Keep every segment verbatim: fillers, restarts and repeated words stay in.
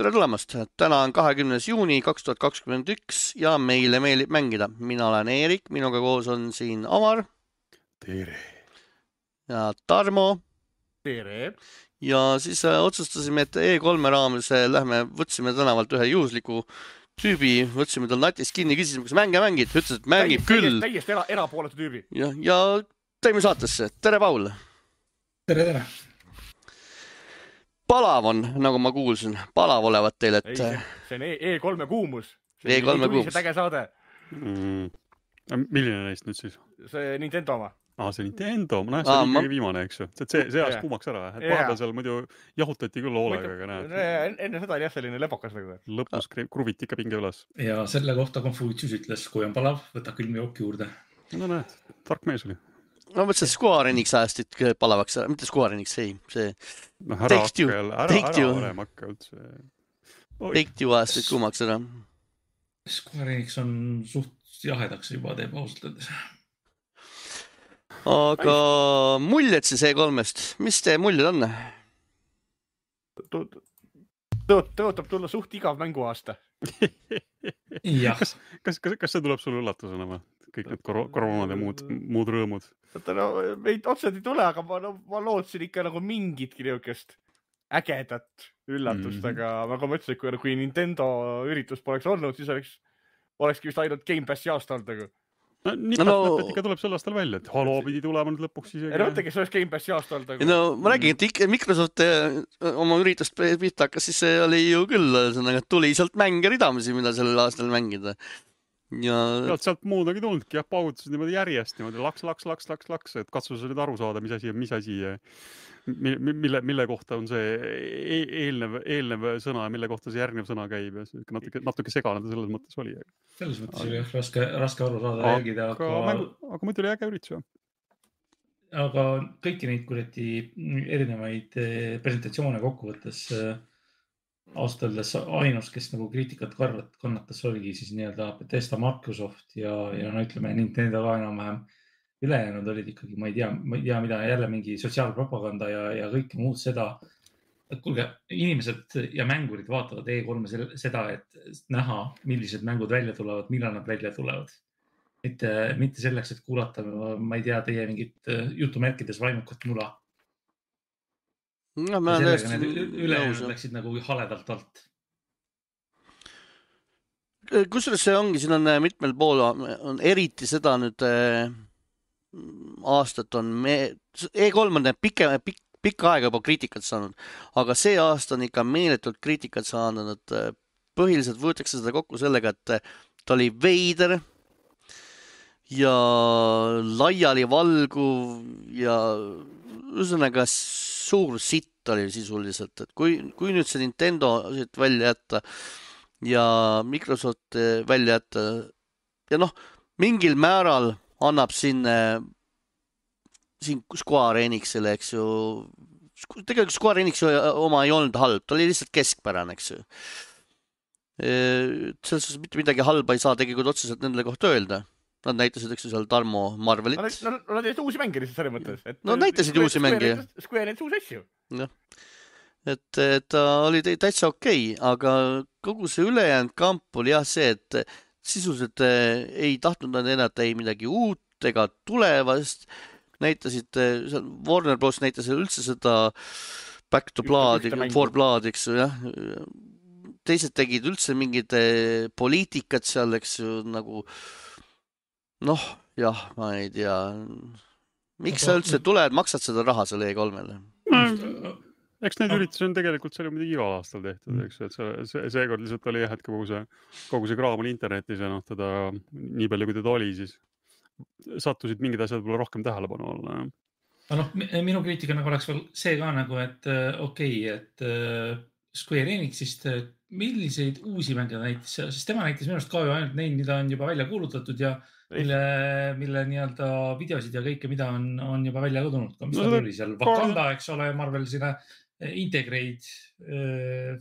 tere tulemast! Täna on kahekümnes juuni kaks tuhat kakskümmend üks ja meile meeldib mängida. Mina olen Eerik, minuga koos on siin Amar. Tere! Ja Tarmo. Tere! Ja siis äh, otsustasime, et E kolme raames äh, lähme, võtsime tänavalt ühe juhusliku tüübi, võtsime tal natist kinni, küsisime, kas mänge mängid, ütles, et mängib Täiesti- küll. Täiesti era, erapooletu tüübi. Ja, ja teeme saatesse. Tere, Paul! Tere, tere! Palav on, nagu ma kuulsin. Palav olevat teil, et... Ei, see, see on E kolme kuumus. E kolme kuumus. See täge saade. Mm. Milline neist nüüd siis? See Nintendo oma. Ah, see Nintendo. Ma näen, see Aa, oli ma- kõige viimane, eks ju. See, see, see ajas Jaa. kuumaks ära. Et Jaa. vahepeal seal muidu jahutati küll hoolega, aga näed. En- Enne seda oli jah selline lepokas nagu. Lõpus kri- kruviti ikka pinge üles. Ja selle kohta Confucius ütles, kui on palav, võta külm jook juurde. No näed, tark mees oli. Ma mõtlesin, et Square Enix ajastit palavaks. Mitte Square Enix, ei. See No, ära Take Two. hakka, ära, Take ära Two. varem hakka üldse. Oi. Take Two ajastit kuumaks ära. Square Enix on suht jahedaks juba teeb ausalt öeldes. Aga muljed siis E kolmest. Mis teie muljed on? Tõotab tulla suht igav mänguaasta. Jah, Kas, kas, kas, kas see tuleb sulle üllatusena või? Kõik need kor- koroonad ja muud, muud rõõmud. Vaata, no, meid otseselt ei tule, aga ma, no, ma lootsin ikka nagu mingitki niukest ägedat üllatust, Mhm. aga nagu ma ütlesin, kui, kui Nintendo üritus poleks olnud, siis oleks, olekski vist ainult Game Passi aasta olnud. Nagu. No, nipet, No, no, no- nipet ikka tuleb sel aastal välja, et Halo pidi tulema nüüd lõpuks isegi. Ei no mõtlegi, see oleks Game Passi aasta olnud. Nagu. No ma räägin, et ikka Microsoft eh, oma üritust pihta hakkas, siis see oli ju küll, sõnaga, tuli sealt mänge ridamisi, mida sellel aastal mängida. Ja Sealt, sealt muudagi tulnudki, jah, paugutasid niimoodi järjest, niimoodi laks, laks, laks, laks, laks, et katsus nüüd aru saada, mis asi on, mis asi, mi- mi- mille, mille kohta on see e- eelnev, eelnev sõna ja mille kohta see järgnev sõna käib ja see natuke, natuke segane ta selles mõttes oli. selles mõttes oli jah raske, raske aru saada ja jälgida, Aga, aga, mängu, aga muidu oli äge üritus, jah. aga kõiki neid kuradi erinevaid eh, presentatsioone kokkuvõttes eh, ausalt öeldes ainus, kes nagu kriitikat karvat kannatas, oligi siis nii-öelda Bethesda, Microsoft ja, ja no ütleme Nintendo ka enam-vähem ülejäänud olid ikkagi, ma ei tea, ma ei tea, mida jälle mingi sotsiaalpropaganda ja, ja kõike muud seda. Et kuulge, inimesed ja mängurid vaatavad E kolme seda, et näha, millised mängud välja tulevad, millal nad välja tulevad. Mitte, mitte selleks, et kuulata, ma ei tea, teie mingit jutumärkides vaimukat mula. no, ma Ja olen sellega need täiesti ülejäänud nõus. läksid nagu haledalt alt. Kusjuures see ongi, siin on eh, mitmel pool, on eriti seda nüüd eh, aastat on me, E kolm on pike, pik, pikka aega juba kriitikat saanud, aga see aasta on ikka meeletult kriitikat saanud, et eh, põhiliselt võetakse seda kokku sellega, et eh, ta oli veider ja laiali valguv ja ühesõnaga suur sitt oli sisuliselt, et kui, kui nüüd see Nintendo siit välja jätta ja Microsoft välja jätta ja noh, mingil määral annab siin, siin Square Enixile, eks ju, tegelikult Square Enix oma ei olnud halb, ta oli lihtsalt keskpärane, eks ju. Selles suhtes mitte midagi halba ei saa tegelikult otseselt nendele kohta öelda. Nad näitasid, eks ju, seal Tarmo Marvelit. Nad, nad, nad olid uusi mänge lihtsalt selles mõttes. Et No näitasid uusi mänge. Square näitas uusi asju. Jah. Et, et ta oli täitsa okei, aga kogu see ülejäänud kamp oli jah see, et sisuliselt ei tahtnud nad ennast ei midagi uut ega tulevast. Näitasid, Warner Bros. Näitas üldse seda Back to Blood, For Blood, eks ju, jah. Teised tegid üldse mingid poliitikat seal, eks ju, nagu noh, jah, ma ei tea. Miks sa üldse tuled, maksad seda raha selle E kolmele? Eks need üritusi on tegelikult seal muidugi igal aastal tehtud, eks, et see, see, seekord lihtsalt oli jah, et kogu see, kogu see kraam oli internetis ja noh, teda nii palju, kui teda oli, siis sattusid mingid asjad võib-olla rohkem tähelepanu olla. Ja noh, minu kriitika nagu oleks veel see ka nagu, et okei, okay, et Square Enixist milliseid uusi mänge näitas, sest tema näitas minust ka ju ainult neid, mida on juba välja kuulutatud ja mille, mille nii-öelda videosid ja kõike, mida on, on juba välja kõdunud. Mis no, oli seal Wakanda, eks ole, Marvel sinna Integrate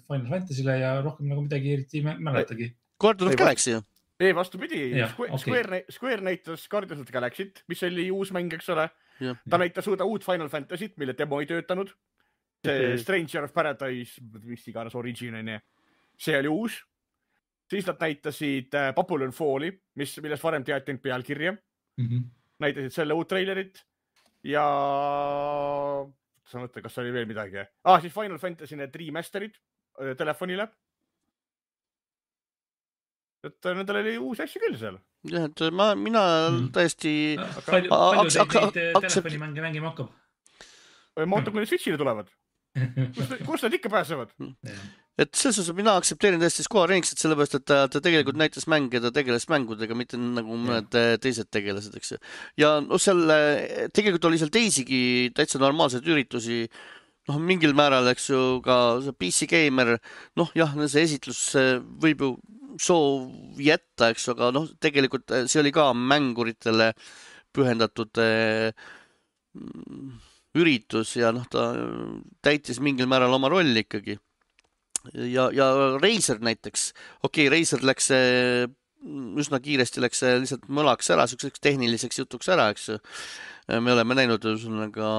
Final Fantasy'le ja rohkem nagu midagi eriti mäletagi. Guardians of Galaxy ju. Ei, vastu pidi. Ja, Square, okay. Square, Square näitas Guardians of Galaxy't, mis oli uus mäng, eks ole. Ja. Ta näitas uuda uut Final Fantasy't, mille demo ei töötanud. See Stranger of Paradise, mis iganes origin on. see oli uus. Siis nad näitasid Babylon Falli, mis, millest varem teati ainult pealkirja. Mm-hmm. Näitasid selle uut trailerit ja sa mõtle, kas oli veel midagi. Ah, siis Final Fantasy need remasterid telefonile. Et nendel oli uus asju küll seal. jah, et ma, mina mm. tõesti palju, palju teid neid telefonimänge mängima hakkab? Ma ootan, kui need Switchile tulevad. Kus, kus nad ikka pääsevad? Et selles osas mina aktsepteerin tõesti Square Enixit, sellepärast, et ta, ta tegelikult näitas mänge, ta tegeles mängudega, mitte nagu mõned teised tegelased, eks. Ja no seal tegelikult oli seal teisigi täitsa normaalseid üritusi, noh, mingil määral, eks ju, ka P C Gamer, noh, jah, see esitlus võib ju soov jätta, eks, aga noh, tegelikult see oli ka mänguritele pühendatud üritus ja noh, ta täitis mingil määral oma rolli ikkagi. Ja, ja Razer näiteks, okei, okay, Razer läks üsna kiiresti läks lihtsalt mõlaks ära, selliseks tehniliseks jutuks ära, eks. Me oleme näinud üsnaga,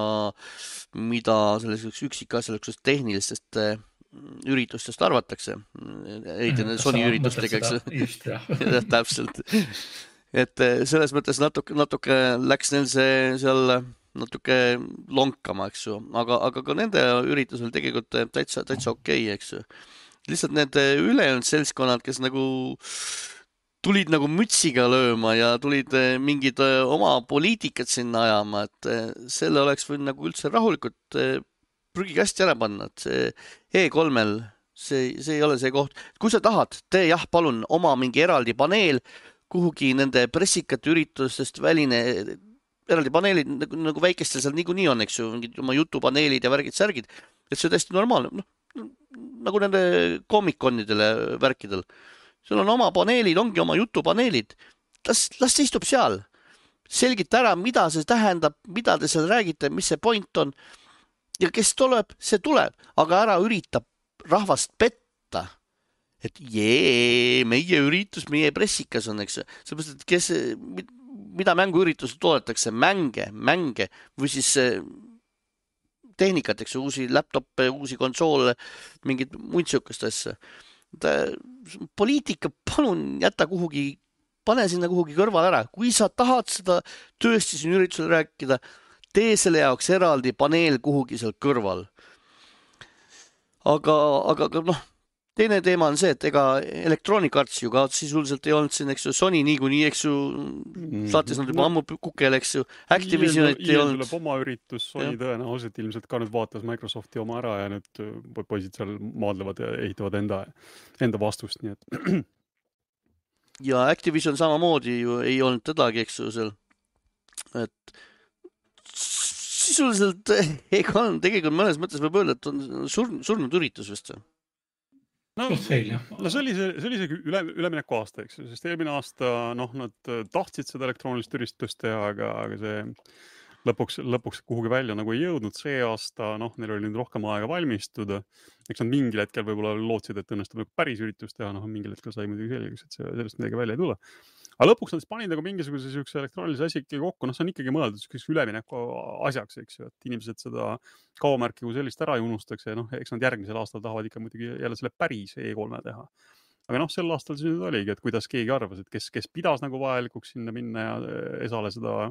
mida selliseks üksikasjaliseks tehnilistest üritustest arvatakse. Eriti need Sony üritustega, eks. Just, jah. Ja, täpselt. Et selles mõttes natuke, natuke läks neil see seal natuke lonkama, eks ju. Aga, aga ka nende üritusel tegelikult täitsa, täitsa okei, eks ju. Lihtsalt need ülejäänud seltskonnad, kes nagu tulid nagu mütsiga lööma ja tulid mingid oma poliitikat sinna ajama, et selle oleks võinud nagu üldse rahulikult prügikästi ära panna, et see E kolmel, see, see ei ole see koht. Kui sa tahad, tee jah, palun oma mingi eraldi paneel kuhugi nende pressikate üritustest väline eraldi paneelid nagu, nagu väikestel seal niikuinii on, eks ju, mingid oma jutupaneelid ja värgid, särgid, et see on täiesti normaalne, noh, nagu nende komikonidele värkidel. Sul on oma paneelid, ongi oma jutupaneelid. Las, las see istub seal. Selgita ära, mida see tähendab, mida te seal räägite, mis see point on. Ja kes tuleb, see tuleb, aga ära ürita rahvast petta. Et jee, meie üritus, meie pressikas on, eks. Sellepärast, et kes, mida mänguüritused toodetakse, mänge, mänge või siis tehnikat, eks, uusi laptoppe, uusi konsoole, mingid muid sihukest asja. Poliitika palun jäta kuhugi, pane sinna kuhugi kõrval ära. Kui sa tahad seda tõesti siin üritusel rääkida, tee selle jaoks eraldi paneel kuhugi seal kõrval. Aga, aga, aga noh, teine teema on see, et ega Electronic Arts ju ka sisuliselt ei olnud siin, eks ju, Sony niikuinii, eks ju, saatis nad juba ammu kukele, eks ju, Activisionit ei olnud. Tuleb oma üritus, Sony tõenäoliselt ilmselt ka nüüd vaatas Microsofti oma ära ja nüüd poisid seal maadlevad ja ehitavad enda, enda vastust, nii et. Ja Activision samamoodi ju ei olnud tedagi, eks ju, seal, et sisuliselt ega on tegelikult mõnes mõttes võib öelda, et on surnud, surnud üritus vist. No, no see oli see, see oli see üle, ülemineku aasta, eks, sest eelmine aasta, noh, nad tahtsid seda elektroonilist üristust teha, aga, aga see lõpuks, lõpuks kuhugi välja nagu ei jõudnud. See aasta, noh, neil oli nüüd rohkem aega valmistuda. Eks nad mingil hetkel võib-olla lootsid, et õnnestub nagu päris üritust teha, noh, mingil hetkel sai muidugi selgeks, et sellest midagi välja ei tule. Aga lõpuks nad panid nagu mingisuguse sihukese elektroonilise asja ikkagi kokku, noh, see on ikkagi mõeldud ülemineku asjaks, eks ju, et inimesed seda kaomärki kui sellist ära ei unustaks ja noh, eks nad järgmisel aastal tahavad ikka muidugi jälle selle päris E kolme teha. Aga noh, sel aastal siis nüüd oligi, et kuidas keegi arvas, et kes, kes pidas nagu vajalikuks sinna minna ja Esale seda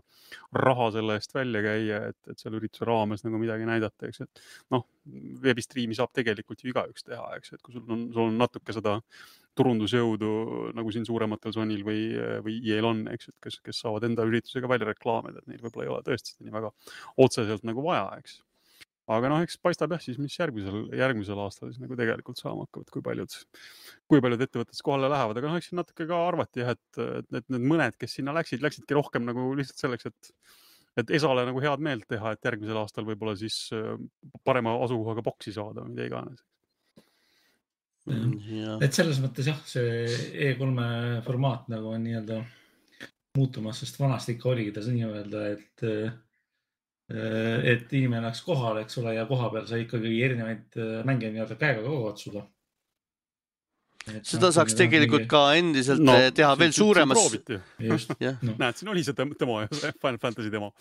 raha selle eest välja käia, et, et seal ürituse raames nagu midagi näidata, eks, et noh, veebistriimi saab tegelikult ju igaüks teha, eks, et kui sul on, sul on natuke seda turundusjõudu nagu siin suurematel Sonyl või, või E L on, eks, et kes, kes saavad enda üritusega välja reklaamida, et neil võib-olla ei ole tõesti seda nii väga otseselt nagu vaja, eks. Aga noh, eks paistab jah siis, mis järgmisel, järgmisel aastal siis nagu tegelikult saama hakkavad, kui paljud, kui paljud ettevõtted kohale lähevad. Aga noh, eks siin natuke ka arvati jah, et, et need mõned, kes sinna läksid, läksidki rohkem nagu lihtsalt selleks, et, et Esale nagu head meelt teha, et järgmisel aastal võib-olla siis parema asukohaga boksi saada, mida iganes. Ja. Et selles mõttes jah, see E kolme formaat nagu on nii-öelda muutumas, sest vanasti ikka oligi ta nii öelda, et et inimene läks kohale, eks ole, ja koha peal sai ikkagi erinevaid mänge nii-öelda käega kogu otsuda. Et seda saaks tegelikult mingi... ka endiselt no, teha veel suuremas. Just, ja. No. Näed, siin oli see demo ja see Final Fantasy demo.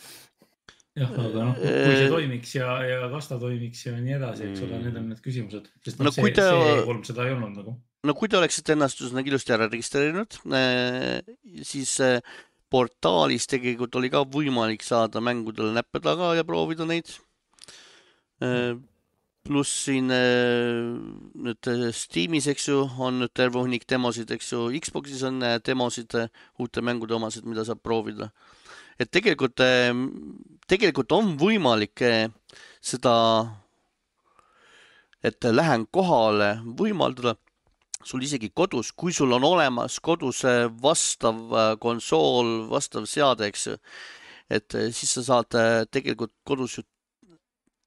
Jah, aga noh, kui see toimiks ja, ja kas ta toimiks ja nii edasi, eks ole, need on need küsimused. Sest no, see, ta... see E kolm seda ei olnud nagu. no kui te oleksite ennast nagu ilusti ära registreerinud, siis portaalis tegelikult oli ka võimalik saada mängudele näppe taga ja proovida neid. Pluss siin nüüd Steamis, eks ju, on nüüd terve hunnik demosid, eks ju, Xboxis on demosid, uute mängude omasid, mida saab proovida. Et tegelikult, tegelikult on võimalik seda, et lähen kohale võimaldada sul isegi kodus, kui sul on olemas kodus vastav konsool, vastav seade, eks ju, et siis sa saad tegelikult kodus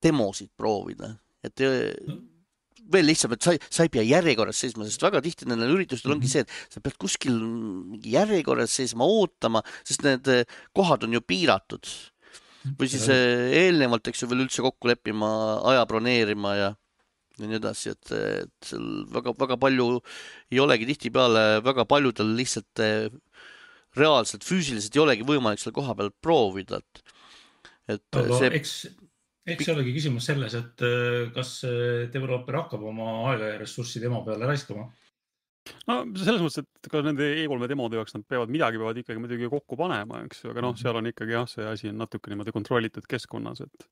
demosid proovida. Et veel lihtsam, et sa, sa ei pea järjekorras seisma, sest väga tihti nendel üritustel ongi see, et sa pead kuskil järjekorras seisma, ootama, sest need kohad on ju piiratud. Või siis eelnevalt, eks ju, veel üldse kokku leppima, aja broneerima ja ja nii edasi, et, et seal väga, väga palju ei olegi tihti peale, väga paljudel lihtsalt reaalselt, füüsiliselt ei olegi võimalik seal koha peal proovida. Et, et aga see... eks, eks olegi küsimus selles, et kas developer hakkab oma aega ja ressurssi demo peale raiskama? No selles mõttes, et ka nende E kolme demode jaoks nad peavad midagi peavad ikkagi muidugi kokku panema, eks, aga noh, seal on ikkagi jah, see asi on natuke niimoodi kontrollitud keskkonnas, et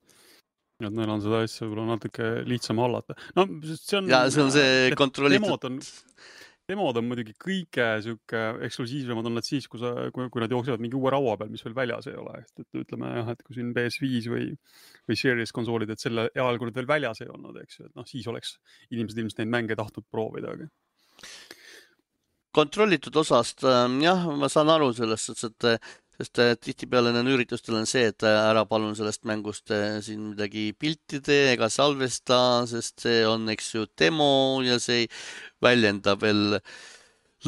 et neil on seda asja võib-olla natuke lihtsam hallata. No, see on, ja see on see kontrollitud. Demod on, demod on muidugi kõige süke eksklusiivsemad on nad siis, kui, sa, kui, kui nad jooksevad mingi uue raua peal, mis veel väljas ei ole. Et, et ütleme jah, et kui siin P S viis või, või Series konsoolid, et selle ajal, kui nad veel väljas ei olnud, eks ju, et noh, siis oleks inimesed ilmselt neid mänge tahtnud proovida. Aga... Kontrollitud osast, jah, ma saan aru sellest, et sest tihti peale nende üritustel on see, et ära palun sellest mängust siin midagi pilti tee ega salvesta, sest see on, eks ju, demo ja see väljendab veel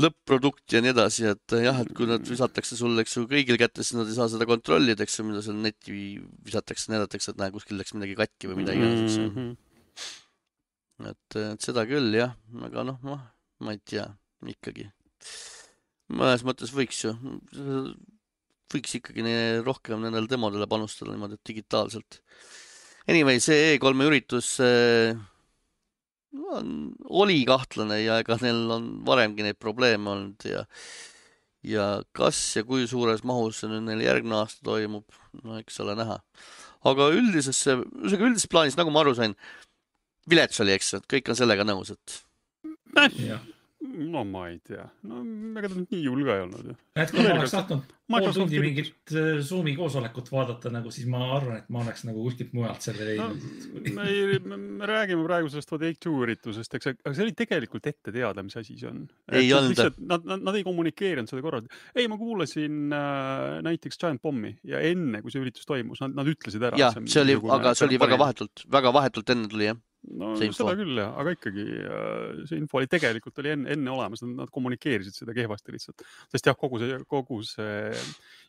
lõpp-produkt ja nii edasi, et jah, et kui nad visatakse sulle, eks ju, kõigil kätte, siis nad ei saa seda kontrollida, eks ju, mida seal neti visatakse, näidatakse, et näe, kuskil läks midagi katki või midagi. Mm-hmm. Et, et seda küll, jah, aga noh, ma, ma ei tea, ikkagi. Mõnes mõttes võiks ju... võiks ikkagi rohkem nendel demodele panustada niimoodi digitaalselt. Anyway, see E kolme üritus on, oli kahtlane ja ega neil on varemgi neid probleeme olnud ja, ja kas ja kui suures mahus see nüüd neil järgmine aasta toimub, no eks ole näha. Aga üldises, üldises plaanis, nagu ma aru sain, vilets oli, eks, et kõik on sellega nõus, et... Ja. No ma ei tea. No ega ta nii julge ei olnud. Et kui ma oleks tahtnud pool tundi mingit Zoomi koosolekut vaadata, nagu, siis ma arvan, et ma oleks nagu kuskilt mujalt selle leidnud. No, me, me räägime praegu sellest Take-Two üritusest, eks, aga see oli tegelikult ette teada, mis asi see on. Ei olnud. Nad, nad, nad ei kommunikeerinud seda korralt. Ei, ma kuulasin äh, näiteks Giant Bombi ja enne, kui see üritus toimus, nad, nad ütlesid ära. Ja, see oli, aga see oli väga vahetult, väga vahetult enne tuli, jah. No seda küll, jah, aga ikkagi see info oli tegelikult oli enne, enne olemas, nad kommunikeerisid seda kehvasti lihtsalt. Sest jah, kogu see, kogu see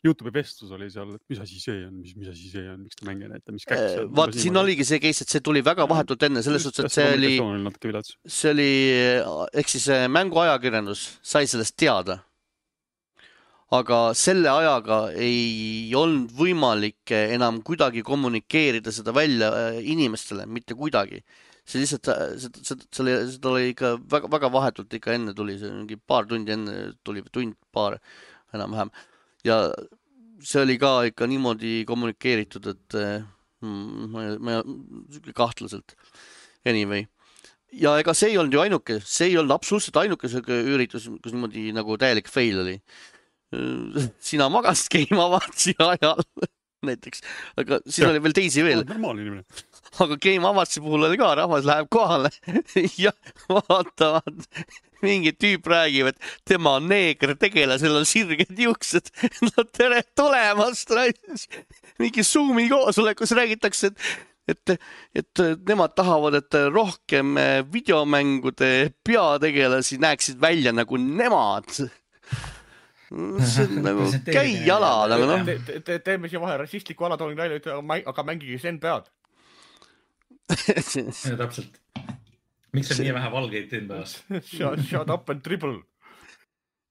YouTube'i vestlus oli seal, et mis asi see on, mis, mis asi see on, miks ta mänge näita, mis käks on. Vaat, siin oli. oligi see case, et see tuli väga vahetult enne, selles suhtes, et see oli, see oli, ehk siis mänguajakirjandus sai sellest teada. Aga selle ajaga ei olnud võimalik enam kuidagi kommunikeerida seda välja inimestele, mitte kuidagi. See lihtsalt, seda, seda, seda, seda oli ikka väga, väga vahetult ikka enne tuli, see mingi paar tundi enne tuli, tund, paar enam-vähem. Ja see oli ka ikka niimoodi kommunikeeritud, et mm, ma, ma kahtlaselt. Anyway. Ja ega see ei olnud ju ainuke, see ei olnud absoluutselt ainuke üritus, kus niimoodi nagu täielik fail oli. Sina magasid Game Awards'i ajal näiteks, aga siin ja. Oli veel teisi veel. Aga Game Awards'i puhul oli ka, rahvas läheb kohale ja vaatavad, mingi tüüp räägib, et tema on neeger tegele, seal on sirged juuksed. No tere tulemast! Mingi Zoomi koosolekus räägitakse, et Et, et nemad tahavad, et rohkem videomängude peategelasi näeksid välja nagu nemad. See on nagu käi jala. Nagu, no. te, te, te, teeme siia vahe rassistliku alatooni välja, aga mängige sen pead. Ja, täpselt. Miks on nii vähe valgeid teen päevas? Shut, shut up and dribble.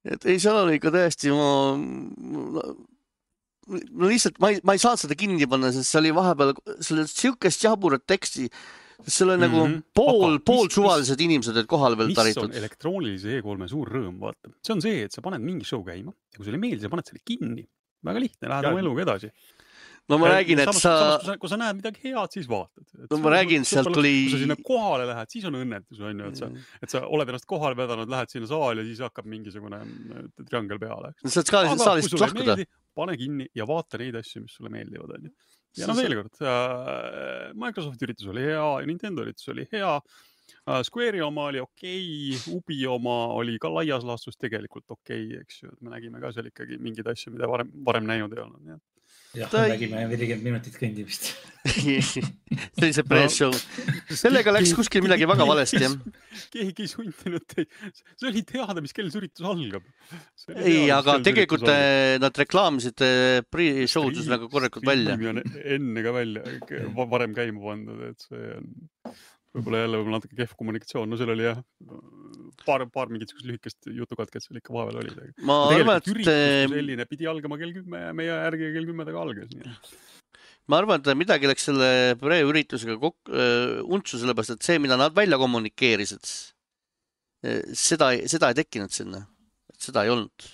Et ei, seal oli ikka tõesti, ma, no lihtsalt ma ei, ma ei saanud seda kinni panna, sest see oli vahepeal, see oli siukest jaburat teksti, seal on nagu Mhm. pool, Aga pool mis- suvalised inimesed olid kohal veel mis on taritud. elektroonilise E kolme suur rõõm, vaata. See on see, et sa paned mingi show käima ja kui sulle ei meeldi, sa paned selle kinni. Väga lihtne, lähed Ja- oma eluga edasi. no ma räägin, et samas, sa, samas, kui sa, kui sa näed midagi head, siis vaatad. Et No see ma on räägin, lõpuks- sealt lõpuks, tuli- Kui sa sinna kohale lähed, siis on õnnetus, on ju, et sa, et sa oled ennast kohale vedanud, lähed sinna saali ja siis hakkab mingisugune äh, triangel peale. eks. saad ka Aga kui saalist sulle ei lahkuda. meeldi, pane kinni ja vaata neid asju, mis sulle meeldivad, on ju. Ja Sa- no veel kord, äh, Microsofti üritus oli hea, Nintendo üritus oli hea, äh, Square'i oma oli okei, Ubi oma oli ka laias laastus tegelikult okei, eks ju. Et me nägime ka seal ikkagi mingeid asju, mida varem, varem näinud ei olnud. Nii. jah, Ta me ei- nägime nelikümmend minutit kõndimist. sellise press-show. Sellega läks kuskil midagi väga valesti, jah. Keegi ei sundinud teid. See oli teada, mis kell see üritus algab. See oli Ei, teada, mis aga kell see tegelikult üritus algab. eh, nad reklaamisid eh, pre-show'd just nagu korralikult välja. Streami on enne ka välja, va- varem käima pandud, et see on võib-olla jälle võib-olla natuke kehv kommunikatsioon. No seal oli jah, paar, paar mingit lühikest jutukatket seal ikka vahepeal oli. Ma arvan, Tegelikult et üritus eh, kui selline pidi algama kell kümme ja meie järgi kell kümme taga algas. Nii. ma arvan, et midagi läks selle pre-üritusega kok- äh, untsu, sellepärast et see, mida nad välja kommunikeerisid, eh, seda, seda ei tekkinud sinna. Et seda ei olnud.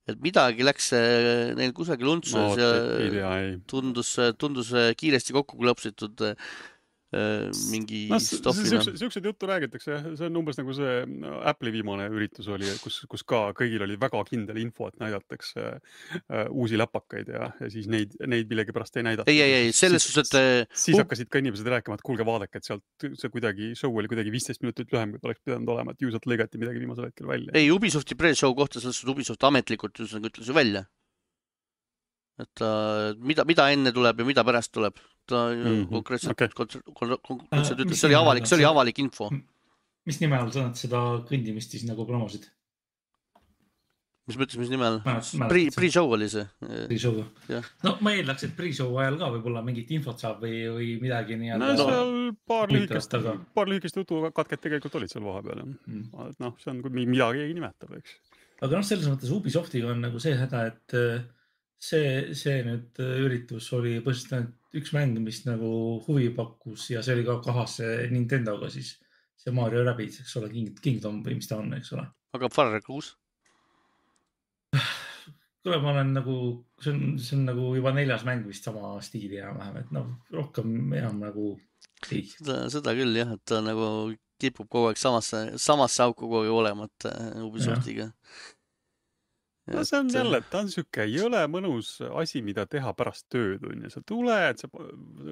Et midagi läks eh, neil kusagil untsu No, ja ei tea, ei. tundus, tundus kiiresti kokku klõpsitud eh, mingi No, stopina. siuksed juttu räägitakse, see on umbes nagu see Apple'i viimane üritus oli, kus, kus ka kõigil oli väga kindel info, et näidatakse uh, uusi läpakaid ja, ja siis neid, neid millegipärast ei näidata. Ei, ei, ei, selles suhtes, et siis hakkasid ka inimesed rääkima, et kuulge, vaadake, et sealt see kuidagi show oli kuidagi viisteist minutit lühem, kui oleks pidanud olema, et ju sealt lõigati midagi viimasel hetkel välja. ei, Ubisofti pre-show kohta selles suhtes Ubisoft ametlikult just nagu ütles ju välja. Et ta, mida, mida enne tuleb ja mida pärast tuleb. Ta Mhm, konkreetselt, okei. konkreetselt Äh, ütles, mis see oli nime avalik, all see oli see- avalik info. mis nime all sa nad seda kõndimist siis nagu promosid? Mis mõttes, mis nime all? Mäletad- Pre, mäletad sa? pre-show oli see. Pre-show'ga. Jah. No ma eeldaks, et pre-show ajal ka võib-olla mingit infot saab või, või midagi no nii-öelda. seal paar huvitavat, lühikest, aga- paar lühikest jutukatket tegelikult olid seal vahepeal. jah. Mm. Et noh, see on, kui midagi keegi nimetab, eks. aga noh, selles mõttes Ubisoftiga on nagu see häda, et äh, see, see nüüd äh, üritus oli põhiliselt ainult üks mäng, mis nagu huvi pakkus ja see oli ka kahas Nintendoga siis see Mario Rabbids, eks ole, King, Kingdom või mis ta on, eks ole. aga Far Cry kuus? kuule, ma olen nagu, see on, see on nagu juba neljas mäng vist sama stiili enam-vähem, et noh, rohkem enam nagu ei. Seda, seda küll jah, et ta nagu kipub kogu aeg samasse, samasse auku kogu aeg olema, et Ubisoftiga. No see on jälle, ta on siuke jõle mõnus asi, mida teha pärast tööd, on ju. Sa tuled, sa,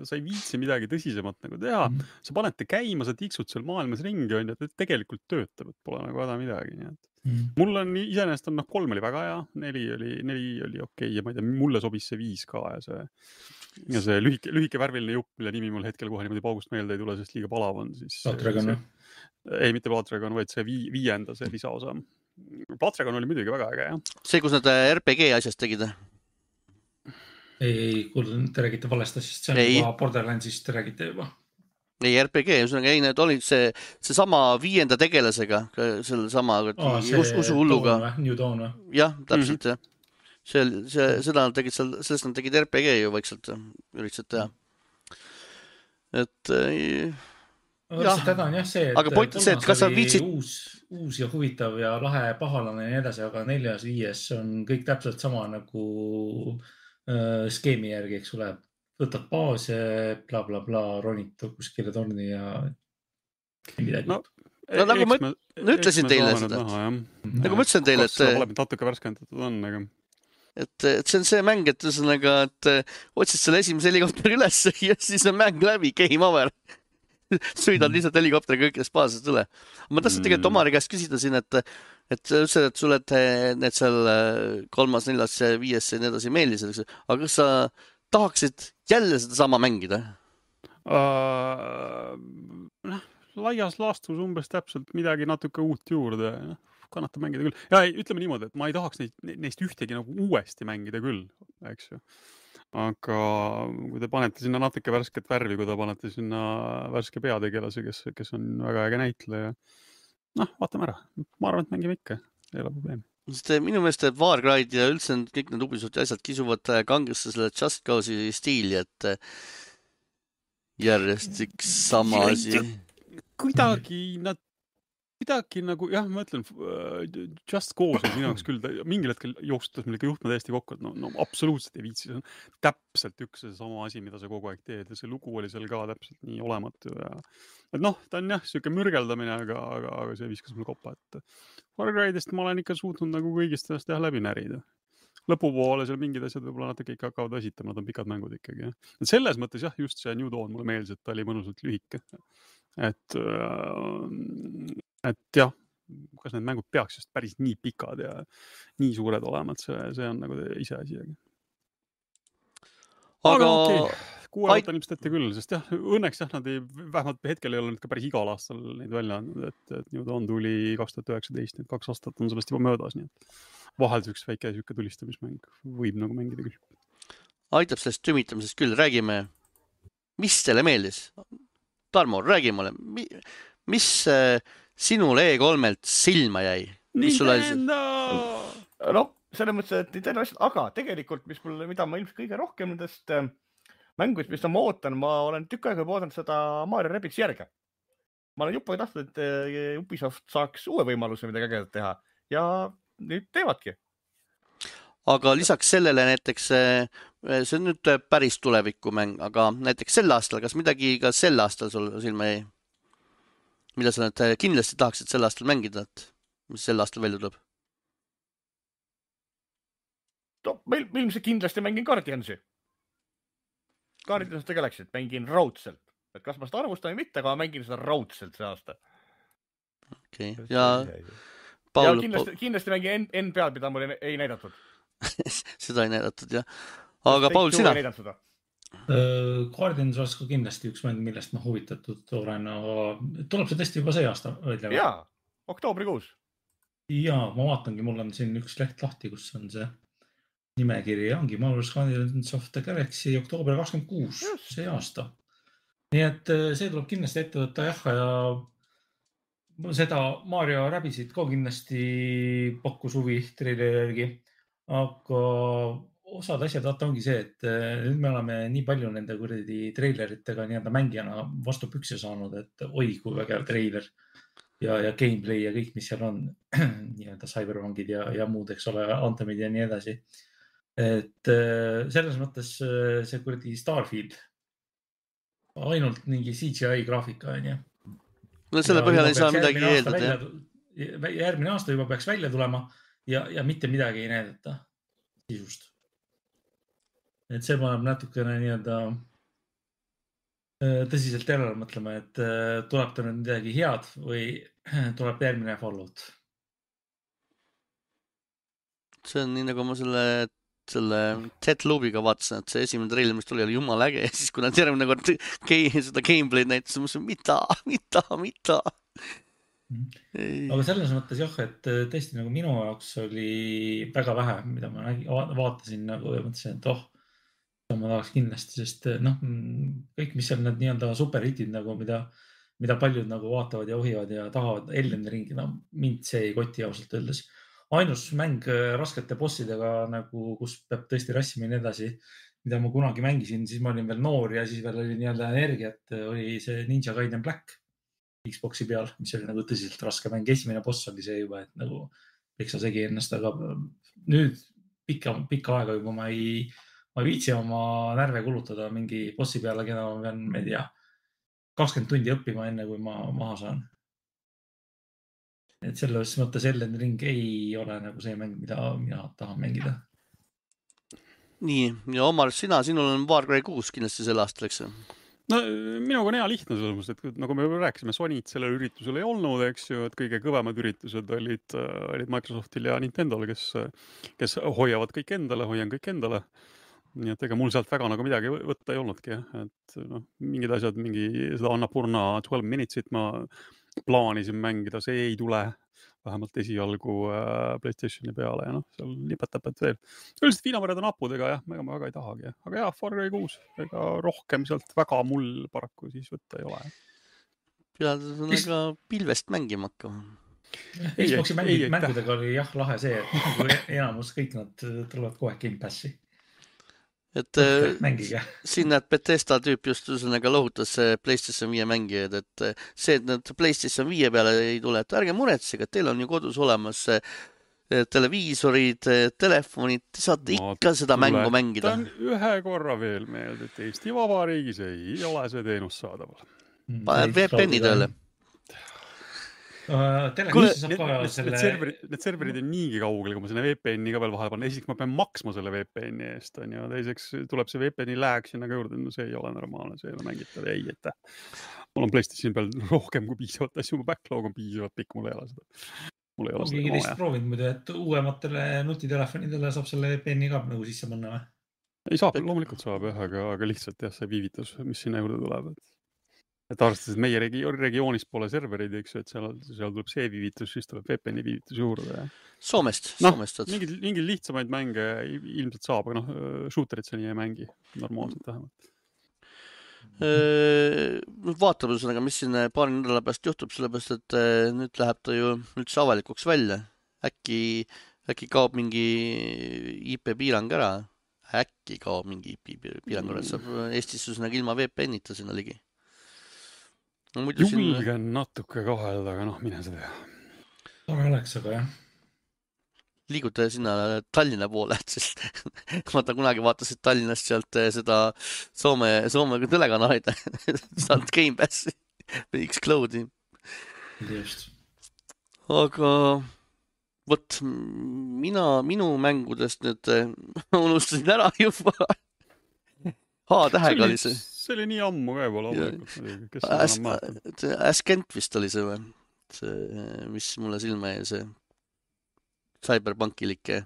sa ei viitsi midagi tõsisemat nagu teha. Mhm. Sa panete käima, sa tiksud seal maailmas ringi, on ju, et tegelikult töötab, et pole nagu häda midagi. Nii et. Mm. Mul on iseenesest on, noh, kolm oli väga hea, neli oli, neli oli okei ja ma ei tea, mulle sobis see viis ka ja see, ja see lühike, lühike värviline jupp, mille nimi mul hetkel kohe niimoodi paugust meelde ei tule, sest liiga palav on. Siis, Patragon, see, ei, mitte Patragon, vaid see vii, viienda, see lisaosa. Patragon oli muidugi väga äge, jah. See, kus nad R P G asjast tegid? ei, ei, kuule, te räägite valest asjast, see on Ei. juba Borderlandsist te räägite juba. ei, R P G, ühesõnaga ei, need olid see, see sama viienda tegelasega, selle sama Aa, see us, usuhulluga. Dawn või? New Dawn või? jah, täpselt Mhm. jah. See, see, seda nad tegid seal, sellest nad tegid R P G ju vaikselt, üritasid teha. Et ei, aga Jah. lihtsalt häda on jah see, et Aga point on see, et kas sa kolmas oli viitsid- uus, uus ja huvitav ja lahe pahalane ja nii edasi, aga neljas, viies on kõik täpselt sama nagu äh, skeemi järgi, eks ole. Võtad baase, bla, bla, bla, ronid kuskile torni ja midagi. No, No nagu ma me, ütlesin teile seda. nagu ma ütlesin teile, kas seda et, pole natuke värskendatud on, aga et, et see on see mäng, et ühesõnaga, et otsid selle esimese helikopteri üles ja siis on mäng läbi, game over. Sõidad lihtsalt helikopteriga kõikidest baasist üle. Ma tahtsin tegelikult Omari käest küsida siin, et, et sa ütlesid, et sulle need seal kolmas, neljas, viies ja nii edasi meeldis, aga kas sa tahaksid jälle seda sama mängida? uh, noh, laias laastus umbes täpselt midagi natuke uut juurde, noh, kannatab mängida küll. Ja ei, ütleme niimoodi, et ma ei tahaks neid, neist ühtegi nagu uuesti mängida küll, eks ju. Aga kui te panete sinna natuke värsket värvi, kui te panete sinna värske peategelase, kes, kes on väga äge näitleja, noh, vaatame ära. Ma arvan, et mängime ikka, ei ole probleemi. Sest minu meelest Far Cry'd ja üldse kõik need Ubisofti asjad kisuvad kangesse selle Just Cause'i stiili, et järjest üks sama asi. Kuidagi nad Midagi nagu, jah, ma ütlen, Just Cause on minu jaoks küll, mingil hetkel jooksutas meil ikka juhtme täiesti kokku, et no, no absoluutselt ei viitsi. See on täpselt üks see sama asi, mida sa kogu aeg teed ja see lugu oli seal ka täpselt nii olematu. Ja, et noh, ta on jah, siuke mürgeldamine, aga, aga, aga see viskas mul koppa, et Far Cry'dest ma olen ikka suutnud nagu kõigist ennast jah läbi närida. Lõpupoole seal mingid asjad võib-olla natuke ikka hakkavad esitama, nad on pikad mängud ikkagi. Ja. Et selles mõttes jah, just see New Dawn mulle meeldis, et ta oli mõnusalt lühike. Et, et jah, kas need mängud peaks just päris nii pikad ja nii suured olema, et see, see on nagu ise asi. Aga, aga okay. Kuue aastat on ilmselt ette küll, sest jah, õnneks jah, nad ei, vähemalt hetkel ei ole nüüd ka päris igal aastal neid välja andnud, et, et New Dawn tuli kaks tuhat üheksateist, nüüd kaks aastat on sellest juba möödas, nii et vahel üks väike süke tulistamismäng võib nagu mängida küll. Aitab sellest tümitamisest küll, räägime, mis teile meeldis? Tarmo, räägi mulle, mis äh, sinule E kolmelt silma jäi? Nintendo! No, selles mõttes, et Nintendo asjad, aga tegelikult, mis mul, mida ma ilmselt kõige rohkem nendest äh, mängudest, mis ma ootan, ma olen tükk aega ootan seda Mario Rabbids järge. Ma olen juppe tahtnud, et äh, Ubisoft saaks uue võimaluse midagi ägedat teha ja nüüd teevadki. Aga lisaks sellele näiteks, see on nüüd päris tuleviku mäng, aga näiteks sel aastal, kas midagi ka sel aastal sul silma jäi? Mida sa nüüd kindlasti tahaksid sel aastal mängida, et mis sel aastal välja tuleb? No, meil, meil see kindlasti mängin Guardiansi. Guardians of the Galaxy, mängin raudselt. Et kas ma seda arvustan või mitte, aga ma mängin seda raudselt see aasta. Okei, okay. ja... Paul... Ja kindlasti, kindlasti mängin N peal, mida mul ei näidatud. Seda ei näidatud, jah. Aga Paul, sina? Uh, Guardians oleks ka kindlasti üks mäng, millest ma huvitatud olen, aga tuleb see tõesti juba see aasta välja? Jaa, oktoobrikuus. Jaa, ma vaatangi, mul on siin üks leht lahti, kus on see nimekiri ja ongi Marvel's Guardians of the Galaxy oktoober kakskümmend kuus, yes. See aasta. Nii et see tuleb kindlasti ette võtta, jah, ja seda Mario Rabbitsit ka kindlasti pakkus huvi treilergi. Aga osad asjad vaata ongi see, et nüüd me oleme nii palju nende kuradi treileritega nii-öelda mängijana vastu pükse saanud, et oi, kui vägev treiler ja, ja gameplay ja kõik, mis seal on, nii-öelda cyberpunkid ja, ja muud, eks ole, anthemid ja nii edasi. Et selles mõttes see kuradi Starfield, ainult mingi C G I graafika, on ju. No selle põhjal ei saa midagi eeldada. Järgmine aasta juba peaks välja tulema. Ja, ja mitte midagi ei näidata sisust. Et see paneb natukene nii-öelda tõsiselt järele mõtlema, et tuleb ta nüüd midagi head või tuleb järgmine Fallout. See on nii, nagu ma selle, selle Deathloopiga vaatasin, et see esimene trailer, mis tuli, oli jumala äge. Ja siis kui nad järgmine kord seda gameplay'd näitasid, ma mõtlesin, mida, mida, mida. Ei. Aga selles mõttes jah, et tõesti nagu minu jaoks oli väga vähe, mida ma nägi, vaatasin nagu ja mõtlesin, et oh, ma tahaks kindlasti, sest noh, kõik, mis on need nii-öelda superhitid, nagu mida, mida paljud nagu vaatavad ja ohivad ja tahavad Elden Ringi, no mind see ei koti ausalt öeldes. Ainus mäng raskete bossidega, nagu, kus peab tõesti rassima ja nii edasi, mida ma kunagi mängisin, siis ma olin veel noor ja siis veel oli nii-öelda energiat, oli see Ninja Gaiden Black Xboxi peal, mis oli nagu tõsiselt raske mäng. Esimene boss oli see juba, et nagu peksa segi ennast, aga nüüd pikka, pikka aega juba ma ei, ma ei viitsi oma närve kulutada mingi bossi peale, keda ma pean, ma ei tea, kakskümmend tundi õppima enne, kui ma maha saan. Et selles mõttes Elden Ring ei ole nagu see mäng, mida mina tahan mängida. Nii, ja Omar, sina, sinul on Far Cry kuus kindlasti sel aastal, eks? No minuga on hea lihtne selles mõttes, et nagu me juba rääkisime, Sony't sellel üritusel ei olnud, eks ju, et kõige kõvemad üritused olid, olid Microsoftil ja Nintendol, kes, kes hoiavad kõik endale, hoian kõik endale. Nii et ega mul sealt väga nagu midagi võtta ei olnudki, et no, mingid asjad, mingi seda Annapurna twelve minutes'it ma plaanisin mängida, see ei tule vähemalt esialgu äh, PlayStationi peale ja noh, seal nipet-täpet veel. Üldiselt viinamarjad on napudega, jah, ega ma väga ei tahagi. Aga jah, Far Cry kuus, ega rohkem sealt väga mul paraku siis võtta ei ole. Pead ega pilvest mängima hakkama. Xboxi mängid, mängudega oli jah lahe see, et enamus kõik nad tulevad kohe Game Passi. et mängige. Siin näed Bethesda tüüp just ühesõnaga lohutas PlayStation viie mängijaid, et see, et nad PlayStation viie peale ei tule, et ärge muretsege, et teil on ju kodus olemas televiisorid, telefonid, te saate no, ikka seda mängu mängida. Ühe korra veel meelde, et Eesti Vabariigis ei ole see teenus saadaval. Paned V P N-i tööle. Uh, Kuule, need, need, selle... need, serverid, need serverid on niigi kaugel, kui ma sinna V P N-i ka veel vahele panen. Esiteks ma pean maksma selle V P N-i eest, on, ja teiseks tuleb see V P N-i lääg sinna ka juurde. No see ei ole normaalne, see ei ole mängitav. Ei, et mul on PlayStation peal rohkem kui piisavalt asju, mu backlog on piisavalt pikk, mul ei ole seda. Mul ei ole seda. Keegi teist proovinud muidu, et uuematele nutitelefonidele saab selle V P N-i ka nagu sisse panna või? Ei saab, loomulikult saab, aga, aga lihtsalt jah, see viivitus, mis sinna juurde tuleb. Et, et arvestades, et meie regio regioonis pole serverid, eks, et seal, seal tuleb see viivitus, siis tuleb V P N-i viivitus juurde. Ja. Soomest, no, Soomest. Mingid, mingid lihtsamaid mänge ilmselt saab, aga noh, shooterit see nii ei mängi normaalselt vähemalt. Vaatame ühesõnaga, mis siin paari nädala pärast juhtub, sellepärast, et nüüd läheb ta ju üldse avalikuks välja. Äkki, äkki kaob mingi I P piirang ära. Äkki kaob mingi I P piirang ära. Saab Eestis ühesõnaga ilma V P N-ita sinna ligi. No, julgen siin... natuke kahelda, aga noh, mine seda. Tore oleks, aga jah. Liigute sinna Tallinna poole, et sest vaata kunagi vaatasid Tallinnast sealt seda Soome, Soome telekanalid saanud Game Passi X-Cloudi. Just. Aga võt, mina, minu mängudest nüüd unustasin ära juba. H-tähega oli see. See oli nii ammu ka juba loomulikult. Kes As, Ascent vist oli see või? See, mis mulle silma jäi see Cyberpunkilike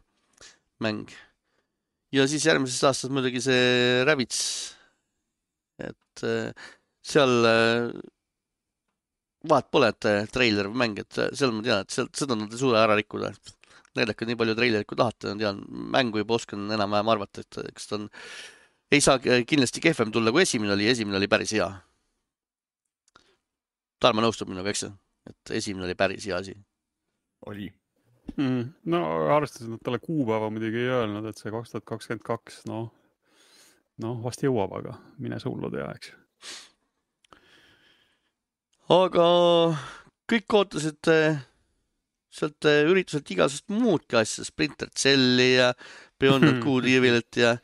mäng. Ja siis järgmises aastas muidugi see Rabbids. Et seal vaat pole, et treiler või mäng, et seal ma tean, et seal, seda nad ei suuda ära rikkuda. Näidake nii palju treilerit, kui tahate. Tean, mängu juba oskan enam-vähem arvata, et kas ta on, ei saa kindlasti kehvem tulla, kui esimene oli. Esimene oli päris hea. Tarmo nõustub minuga, eks? Et esimene oli päris hea asi. Oli. Mm, no arvestades, et talle kuupäeva muidugi ei öelnud, et see kaks tuhat kakskümmend kaks, no, no vast jõuab, aga mine see hullu tea, eks. Aga kõik ootasid sealt ürituselt igasust muudki asja, Splinter Celli ja Beyond Good Evilit ja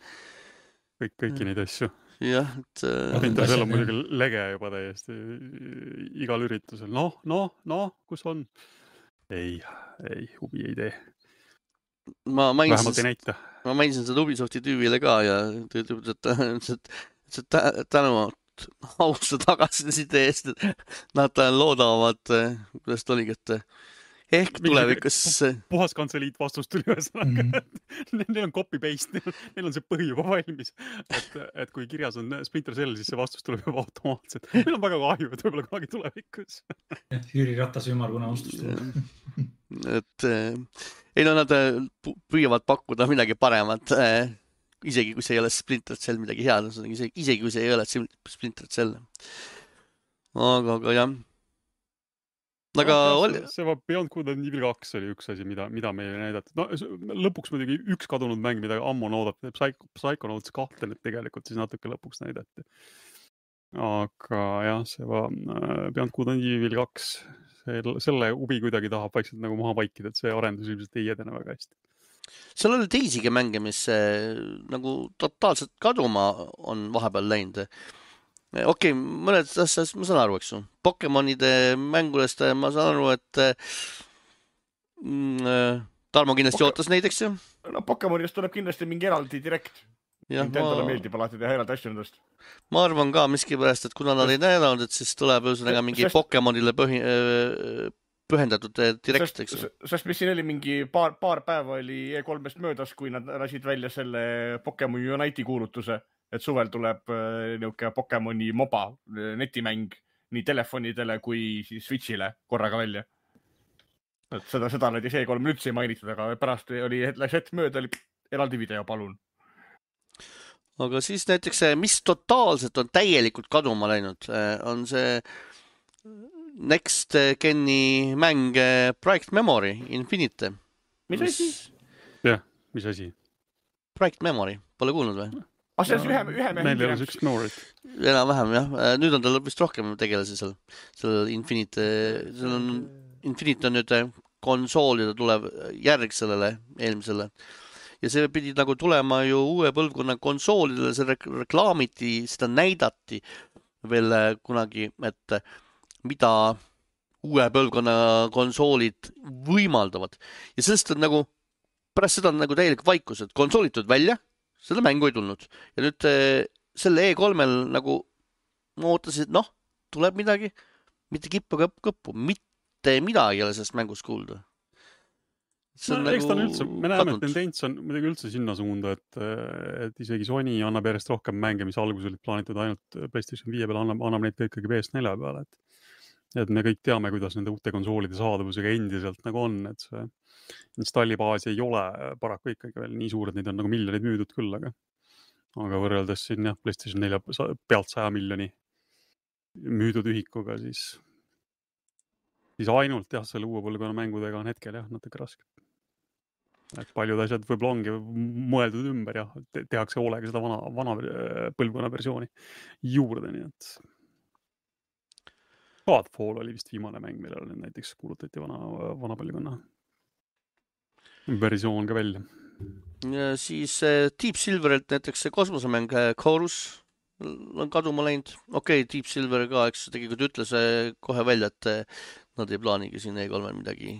kõik, kõiki neid asju. Jah, et Splinter Cell on muidugi lege juba täiesti igal üritusel. Noh, noh, noh, kus on? Ei, ei, huvi ei tee. Ma mainisin, vähemalt ei näita. Ma mainisin seda Ubisofti tüüvile ka ja ta ütleb, et, et, et tänu austa tagasiside eest, et nad loodavad, kuidas ta oligi, et ehk tulevikus... Puhas kantseliit vastust tuli ühesõnaga. Mm. Neil on copy-paste, neil, neil on see põhi juba valmis. Et, et kui kirjas on Splinter Cell, siis see vastus tuleb juba automaatselt. Meil on väga kahju, et võib-olla kunagi tulevikus. Jüri Ratas ümarguna vastus tuleb. Et ei no nad püüavad pakkuda midagi paremat, isegi kui see ei ole Splinter Cell midagi head, isegi kui see ei ole Splinter Cell. Aga, aga jah. Aga no, oli... see, see Beyond Good and Evil kaks oli üks asi, mida, mida meile näidati. No, lõpuks muidugi üks kadunud mäng, mida ammu on oodata. Psychonauts kahte nüüd tegelikult siis natuke lõpuks näidati. Aga jah, see va, Beyond Good and Evil kaks, selle huvi kuidagi tahab vaikselt nagu maha vaikida, et see arendus ilmselt ei edene väga hästi. Seal oli teisigi mänge, mis nagu totaalselt kaduma on vahepeal läinud. Okei, okay, mõned asjad ma saan aru, eks ju. Pokemonide mängudest ma saan aru, et mm, Tarmo kindlasti Poke... ootas neid, eks ju? No Pokemonidest tuleb kindlasti mingi eraldi direkt. Nintendole ma... meeldib alati teha eraldi asju nendest. Ma arvan ka miskipärast, et kuna nad ei näidanud, et siis tuleb ühesõnaga mingi sest... Pokemonile põhi... pühendatud direkt, eks ju. Sest mis siin oli mingi paar, paar päeva oli E kolmest möödas, kui nad lasid välja selle Pokemon Unite'i kuulutuse. Et suvel tuleb niuke Pokemoni moba netimäng nii telefonidele kui siis Switchile korraga välja. Et seda, seda oli see kolm üldse ei mainitud, aga pärast oli hetk mööda oli eraldi video, palun. Aga siis näiteks, mis totaalselt on täielikult kaduma läinud, on see Next Geni mäng Bright Memory Infinite. Mis asi? Jah, mis asi? Bright Memory, pole kuulnud või? Ah, see on ühe, ühe mehe meil ei ole sükst noorit. Enam-vähem, jah. Nüüd on tal vist rohkem tegelasi seal. Seal Infinite, seal on, Infinite on nüüd konsoolide tulev järg sellele eelmisele. Ja see pidi nagu tulema ju uue põlvkonna konsoolidele, see reklaamiti, seda näidati veel kunagi, et mida uue põlvkonna konsoolid võimaldavad. Ja sellest on nagu, pärast seda on nagu täielik vaikus, et konsoolid tulid välja, seda mängu ei tulnud. Ja nüüd selle E kolmel nagu ma ootasin, et noh, tuleb midagi, mitte kippu kõppu, mitte midagi ei ole sellest mängust kuulda. No, nagu eks ta on üldse, me näeme, et tendents on midagi üldse sinna suunda, et, et isegi Sony annab järjest rohkem mänge, mis alguses olid plaanitud ainult PlayStation viie peale, annab, annab neid ikkagi P S neli peale. Et, et me kõik teame, kuidas nende uute konsoolide saadavusega endiselt nagu on, et see installibaas ei ole paraku ikkagi veel nii suur, et neid on nagu miljonid müüdud küll, aga, aga võrreldes siin jah, PlayStation neli pealt saja miljoni müüdud ühikuga, siis, siis ainult jah, selle uue põlvkonna mängudega on hetkel jah, natuke raske. Et paljud asjad võib-olla ongi mõeldud ümber ja tehakse hoolega seda vana, vana põlvkonna versiooni juurde, nii et Godfall oli vist viimane mäng, millele näiteks kuulutati vana, vana põlvkonna versioon ka välja. Ja siis Deep Silverilt näiteks see kosmosemäng Chorus on kaduma läinud. Okei, okay, Deep Silver ka, eks tegelikult ütles kohe välja, et nad ei plaanigi siin E kolmel midagi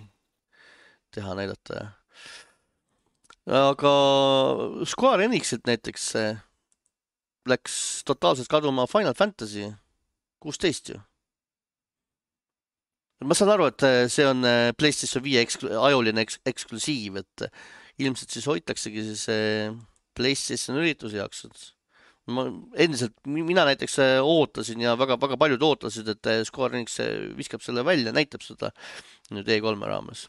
teha, näidata. Aga Square Enixilt näiteks läks totaalselt kaduma Final Fantasy kuusteist ju. Ma saan aru, et see on PlayStation viie eksklu- ajuline eks- eksklusiiv, et ilmselt siis hoitaksegi siis PlayStation ürituse jaoks. Ma endiselt, mina näiteks ootasin ja väga, väga paljud ootasid, et Square Enix viskab selle välja, näitab seda nüüd E kolme raames.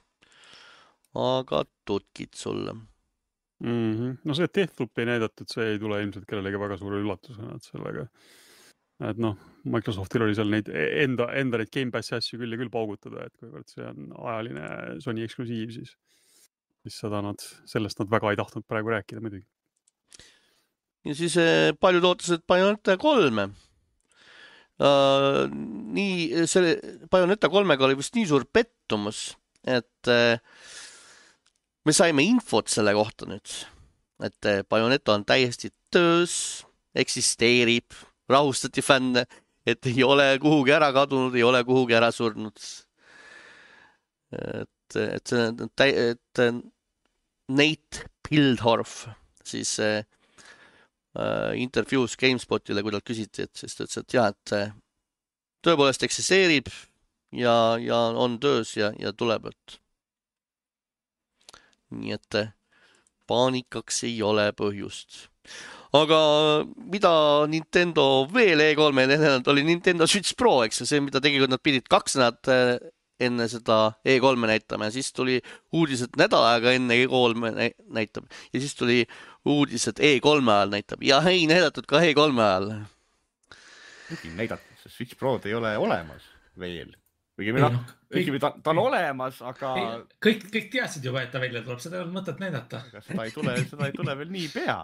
Aga tutkid sulle. Mm-hmm. No see Deathloop ei näidatud, see ei tule ilmselt kellelegi väga suure üllatusena, et sellega et noh, Microsoftil oli seal neid enda, enda neid Game Passi asju küll ja küll paugutada, et kuivõrd see on ajaline Sony eksklusiiv, siis, siis seda nad, sellest nad väga ei tahtnud praegu rääkida muidugi. Ja siis paljud ootasid Bayonetta kolme. Uh, nii, selle Bayonetta kolmega oli vist nii suur pettumus, et uh, me saime infot selle kohta nüüd, et Bayonetta on täiesti töös, eksisteerib, rahustati fänne, et ei ole kuhugi ära kadunud, ei ole kuhugi ära surnud. Et, et, et, et Nate Pildorf siis äh, intervjuus GameSpotile, kui talt küsiti, et siis ta ütles, et jah, et tõepoolest eksisteerib ja, ja on töös ja, ja tuleb, et nii et paanikaks ei ole põhjust. Aga mida Nintendo veel E kolme näidanud oli Nintendo Switch Pro, eks see, mida tegelikult nad pidid kaks nädalat enne seda E kolme näitama ja siis tuli uudised nädal aega enne E kolme näitab ja siis tuli uudised E kolme ajal näitab ja ei näidatud ka E kolme ajal. Kuigi näidatud, see Switch Pro ei ole olemas veel. Kuigi meil on, kuigi ta, ta on olemas, aga ei, kõik, kõik teadsid juba, et ta välja tuleb, seda ei ole mõtet näidata. Aga seda ei tule, seda ei tule veel nii pea.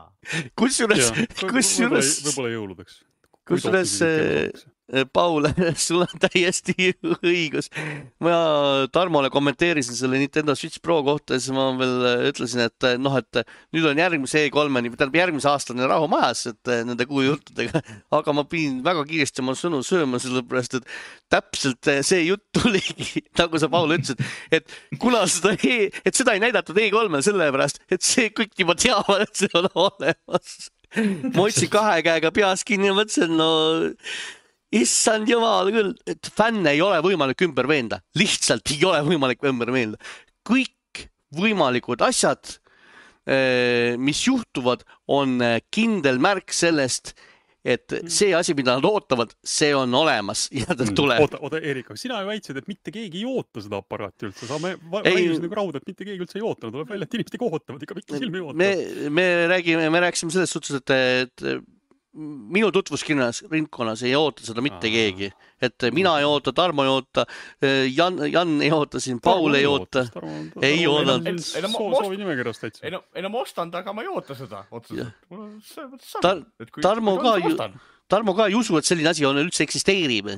Kusjuures, kusjuures võib-olla jõuludeks. Kusjuures Paul, sul on täiesti õigus. Ma Tarmole kommenteerisin selle Nintendo Switch Pro kohta ja siis ma veel ütlesin, et noh, et nüüd on järgmise E kolmeni, tähendab järgmise aastane rahu majas, et nende kuu juttudega, aga ma pidin väga kiiresti oma sõnu sööma, sellepärast, et täpselt see jutt tuligi, nagu sa Paul ütlesid, et kuna seda, e, et seda ei näidatud E kolmel sellepärast, et see kõik juba teavad, et see on olemas. Ma otsin kahe käega peas kinni ja mõtlesin, no issand jumal küll, et fänne ei ole võimalik ümber veenda. Lihtsalt ei ole võimalik ümber veenda. Kõik võimalikud asjad, mis juhtuvad, on kindel märk sellest, et see asi, mida nad ootavad, see on olemas ja ta tuleb. Oota, oota Erik, sina ju väitsid, et mitte keegi ei oota seda aparaati üldse. Sa me väidusid nagu raud, et mitte keegi üldse ei oota. Tuleb välja, et inimesed ei ootavad, ikka pikki silmi ei oota. Me, me, räägime, me rääkisime selles suhtes, et, et minu tutvuskirjas ringkonnas ei oota seda mitte keegi, et mina ei oota, Tarmo ei oota, Jan, Jan ei oota siin, Paul ei oota, ei oota. Soovi nimekirjast täitsa. Ei no, ei no ma ostan ta, aga ma ei oota seda otseselt. Tar Tarmo ka ju, Tarmo ka ei usu, et selline asi on üldse eksisteerib.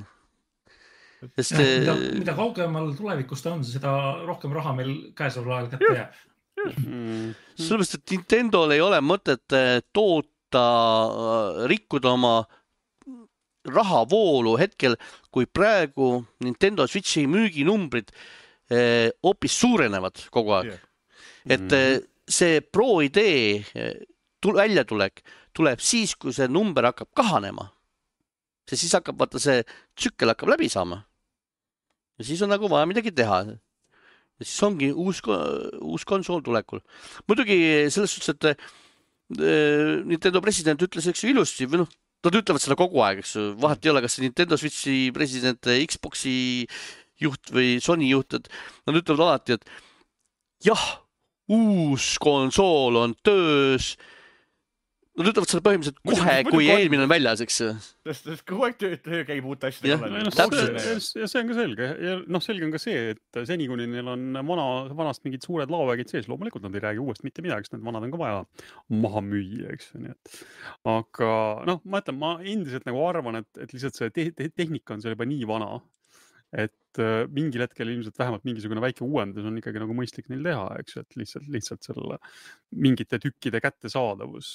Sest, ja, mida, mida kaugemal tulevikus ta on, seda rohkem raha meil käesoleval ajal kätte jääb. Mm. Sellepärast, et Nintendo'l ei ole mõtet toota, rikkuda oma rahavoolu hetkel, kui praegu Nintendo Switchi müüginumbrid hoopis suurenevad kogu aeg. Et see Pro idee väljatulek tuleb siis, kui see number hakkab kahanema. See siis hakkab, vaata see tsükkel hakkab läbi saama. Ja siis on nagu vaja midagi teha. Ja siis ongi uus, uus konsool tulekul. Muidugi selles suhtes, et Nintendo president ütles eks ju ilusti, või noh, nad ütlevad seda kogu aeg, eks ju. Vahet ei ole, kas see Nintendo Switchi president, Xboxi juht või Sony juht, et nad ütlevad alati, et jah, uus konsool on töös. Nad ütlevad seda põhimõtteliselt kohe, kui eelmine on väljas, eks. Sest kogu aeg töö käib uut asja. Ja see on ka selge. Ja noh, selge on ka see, et seni kuni neil on vana, vanast mingid suured laovägid sees, loomulikult nad ei räägi uuest mitte midagi, sest need vanad on ka vaja maha müüa, eks. Nii et. Aga noh, ma ütlen, ma endiselt nagu arvan, et, et lihtsalt see te te tehnika on seal juba nii vana, et mingil hetkel ilmselt vähemalt mingisugune väike uuendus on ikkagi nagu mõistlik neil teha, eks, et lihtsalt, lihtsalt selle mingite tükkide kättesaadavus.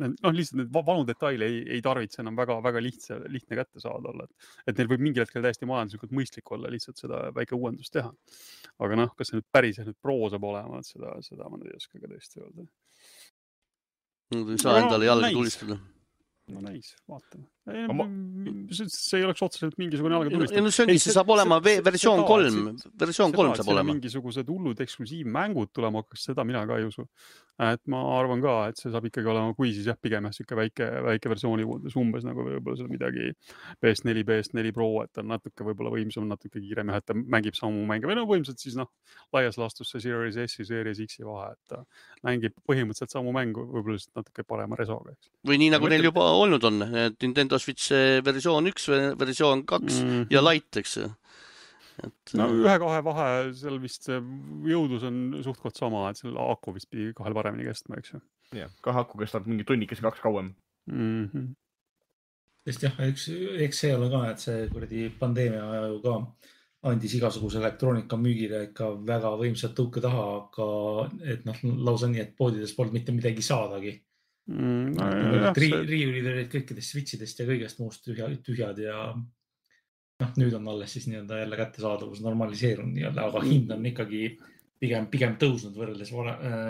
noh, lihtsalt need vanu detaile ei, ei tarvitse enam väga, väga lihtsa, lihtne kätte saada olla. Et neil võib mingil hetkel täiesti majanduslikult mõistlik olla lihtsalt seda väike uuendust teha. Aga noh, kas see nüüd päris nüüd pro saab olema, et seda, seda ma ei oska ka tõesti öelda. Ei saa endale jalga tulistada. No näis, vaatame. Ma... See ei oleks otseselt mingisugune jalga tulistada. No see ongi, see saab olema versioon kolm. Versioon kolm saab olema. Mingisugused hullud eksklusiivmängud tulema, kas seda mina ka ei usu. Et ma arvan ka, et see saab ikkagi olema, kui siis jah, pigem siuke väike, väike versiooni umbes nagu võib-olla seda midagi P S neli, P S neli Pro, et on natuke võib-olla võimsam, natuke kiirem ja et ta mängib samu mänge. Või no võimsalt siis noh, laias laastus see Series S ja Series X vahe, et ta mängib põhimõtteliselt samu mängu, võib-olla natuke parema resoga. Või nii nagu neil juba olnud on, Nintendo Switch versioon üks, versioon kaks mm. ja Lite, eks. Et... No ühe-kahe vahe, seal vist jõudus on suhtkot sama, et seal aku vist pidi kahel paremini kestma, eks ju. Jah, kahe aku kestab mingi tunnikese kaks kauem. Mm-hmm. Sest jah, eks, eks see ole ka, et see kuradi pandeemia aja ju ka andis igasuguse elektroonika müügile ikka väga võimsat tõuke taha, aga et noh, lausa nii, et poodides polnud mitte midagi saadagi. Mm, no, jah, Ri see... riiulid olid kõikidest switchidest ja kõigest muust tühja, tühjad ja noh, nüüd on alles siis nii-öelda jälle kättesaadavus normaliseerunud nii-öelda, aga hind on ikkagi pigem, pigem tõusnud võrreldes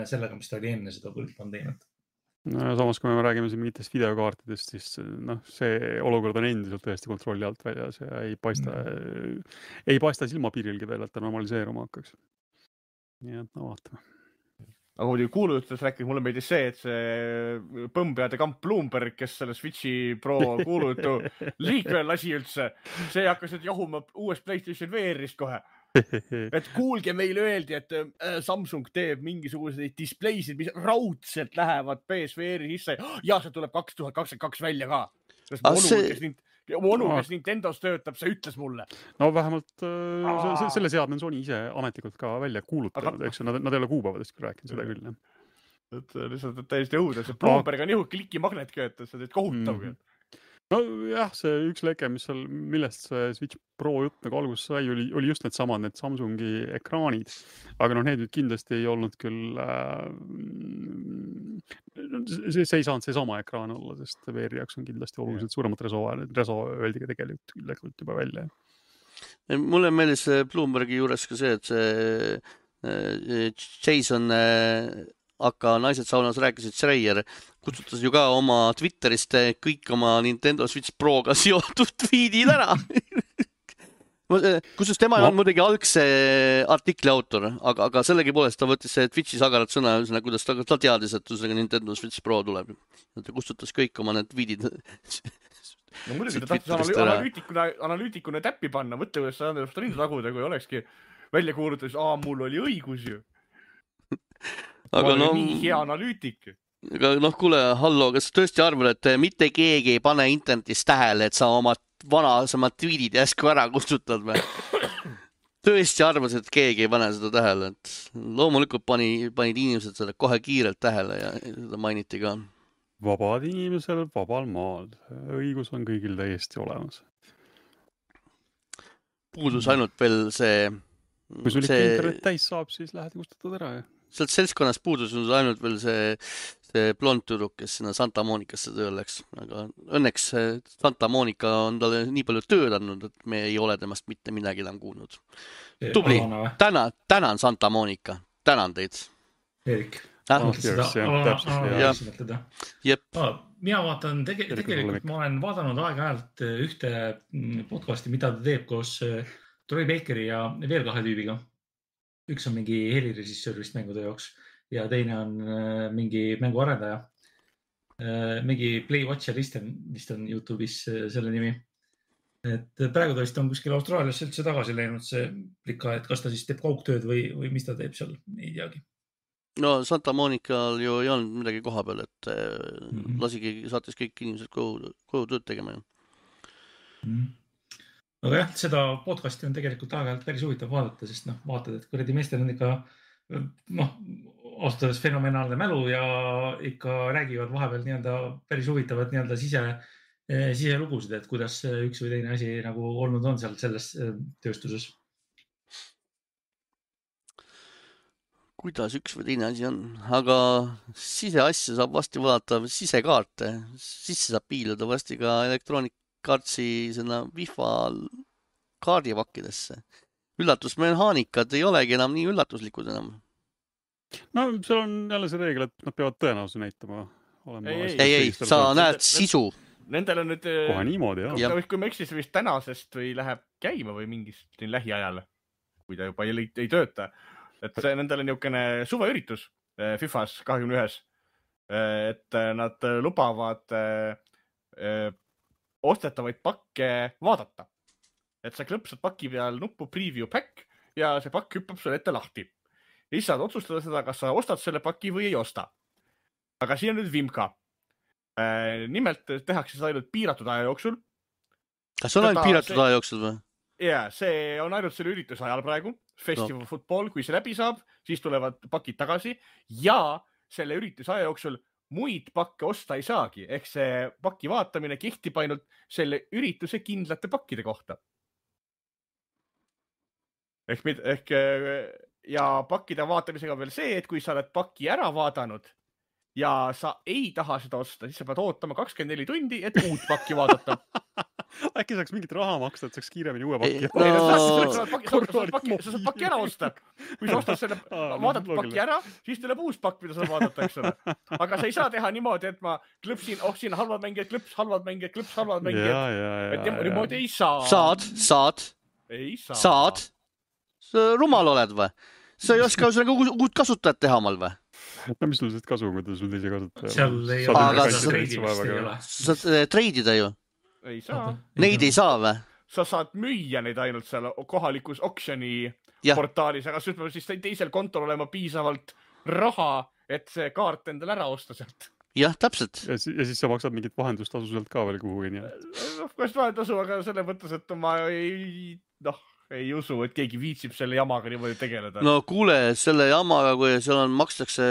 sellega, mis ta oli enne seda pandeemiat. No, samas, kui me räägime siin mingitest videokaartidest, siis noh, see olukord on endiselt tõesti kontrolli alt väljas ja ei paista, mm. ei paista silmapiirilgi veel, et ta normaliseeruma hakkaks. Nii et no vaatame. Aga kui kuulujutus rääkis, mulle meeldis see, et see põmpeade kamp Bloomberg, kes selle Switchi Pro kuulujutu liikvel lasi üldse, see hakkas nüüd jahuma uuest PlayStation V R-ist kohe. Et kuulge, meile öeldi, et Samsung teeb mingisuguseid displaysid, mis raudselt lähevad P S V R-i sisse. Ja see tuleb kaks tuhat kakskümmend kaks välja ka. Onu, see... kes, nüüd, onu, kes Nintendos töötab, see ütles mulle. No vähemalt äh, selle seadme on Sony ise ametlikult ka välja kuulutanud, aga... eks nad, nad ei ole kuupäevadest rääkinud seda küll. Et lihtsalt täiesti õudes. Bloomberg on juhu klikimagnet köötas, see teed kohutav. Mm. No jah, see üks leke, mis seal, millest see Switch Pro jutt nagu alguses sai, oli, oli just need samad, need Samsungi ekraanid. Aga noh, need nüüd kindlasti ei olnud küll, äh, see, see ei saanud see sama ekraan olla, sest V R-i jaoks on kindlasti oluliselt suuremat reso, reso öeldi ka tegelikult, tegelikult juba välja. Mulle meelis Bloombergi juures ka see, et see Jason aga naised saunas rääkisid, Schreier kutsutas ju ka oma Twitterist kõik oma Nintendo Switch Proga seotud tweetid ära. Kusjuures tema no. on muidugi algse artikli autor, aga, aga sellegi poolest ta võttis see Twitchi sagarat sõna, kuidas ta, ta teadis, et Nintendo Switch Pro tuleb. Ta kustutas kõik oma need tweetid. No muidugi ta tahtis analüütikuna, analüütikuna täppi panna, mõtle, kuidas sa on rindu taguda, kui olekski välja kuulutas, aa, mul oli õigus ju. Aga ma no, nii hea analüütik. aga noh, kuule, hallo, kas tõesti arvad, et mitte keegi ei pane internetis tähele, et sa oma vanasemad tweetid järsku ära kustutad või? Tõesti arvas, et keegi ei pane seda tähele, et loomulikult pani, panid inimesed seda kohe kiirelt tähele ja seda mainiti ka. Vabad inimesel vabal maal. Õigus on kõigil täiesti olemas. Puudus ainult veel see... Kui sul ikka internet täis saab, siis lähed kustutad ära. Ja. Sealt seltskonnas puudus ainult veel see, see blond tüdruk, kes sinna Santa Monicasse tööl läks. Aga õnneks Santa Monica on talle nii palju tööd andnud, et me ei ole temast mitte midagi enam kuulnud. Tubli. Tänan, tänan Santa Monica. Tänan teid. Erik. Ah, oh, seda, yes, ala, ala, yep. ah, mina vaatan, tege, tegelikult ma olen vaadanud aeg-ajalt ühte podcasti, mida ta teeb koos Troy Bakeri ja veel kahe tüübiga. Üks on mingi helirežissöör vist mängude jaoks ja teine on mingi mänguarendaja. Mingi Play Watcher Listen vist on YouTube'is selle nimi. Et praegu ta vist on kuskil Austraalias üldse tagasi läinud see plika, et kas ta siis teeb kaugtööd või, või mis ta teeb seal, ei teagi. No Santa Monical ju ei olnud midagi koha peal, et mm-hmm. lasigi saates kõik inimesed koju, koju tööd tegema. Mm-hmm. Aga jah, seda podcasti on tegelikult aeg-ajalt päris huvitav vaadata, sest noh, vaatad, et kuradi meestel on ikka noh, ausalt fenomenaalne mälu ja ikka räägivad vahepeal nii-öelda päris huvitavad nii-öelda sise, siselugusid, et kuidas üks või teine asi nagu olnud on seal selles tööstuses. Kuidas üks või teine asi on, aga siseasja saab vasti vaadata sisekaarte, sisse saab piiluda vasti ka Electronic Artsi sinna Wi-Fi kaardipakkidesse. Üllatusmehaanikad ei olegi enam nii üllatuslikud enam. No seal on jälle see reegel, et nad peavad tõenäosuse näitama. Ei, ei, ei, sa näed sisu. Nendel on nüüd... Kohe niimoodi, jah. Kui me eksis vist tänasest või läheb käima või mingist lähiajal, kui ta juba ei, ei tööta. Et see, nendel on niisugune suveüritus FIFAs kahekümne ühes, et nad lubavad ostetavaid pakke vaadata. Et sa klõpsad paki peal nuppu preview pack ja see pakk hüppab sulle ette lahti. Ja siis saad otsustada seda, kas sa ostad selle paki või ei osta. Aga siin on nüüd vimka. Nimelt tehakse seda ainult piiratud aja jooksul. Kas on ainult piiratud see... aja jooksul või? Jaa, see on ainult selle ürituse ajal praegu. Festival no. Football, kui see läbi saab, siis tulevad pakid tagasi ja selle ürituse aja jooksul muid pakke osta ei saagi. Ehk see paki vaatamine kehtib ainult selle ürituse kindlate pakkide kohta. Ehk, ehk ja pakkide vaatamisega veel see, et kui sa oled paki ära vaadanud ja sa ei taha seda osta, siis sa pead ootama kakskümmend neli tundi, et uut pakki vaadata. Äkki saaks mingit raha maksta, et saaks kiiremini uue pakki. No. Sa saad pakki ära osta. Kui sa ostad selle, vaadad pakki ära, siis tuleb uus pakk, mida sa vaadata, eks ole. Aga sa ei saa teha niimoodi, et ma klõpsin, oh siin halvad mängijad, klõps, halvad mängijad, klõps, halvad mängijad. Ja, ja, ja, et niimoodi ei saa. Saad, saad. Ei saa. Saad. Sa rumal oled või? Sa ei oska sellega uut kasutajat teha omal või? No mis sul sellest kasu, kui ta sul teise kasutaja? Seal ei ole. Sa saad treidida ju. Ei saa. Neid ei saa või? Sa saad müüa neid ainult seal kohalikus auctioni ja. Portaalis, aga siis teisel kontol olema piisavalt raha, et see kaart endal ära osta sealt. Jah, täpselt. Ja, ja siis sa maksad mingit vahendustasu sealt ka veel kuhugi. Kas vahendasu, aga selle mõttes, et ma ei, noh, ei usu, et keegi viitsib selle jamaga niimoodi tegeleda. No kuule, selle jamaga, kui seal on, makstakse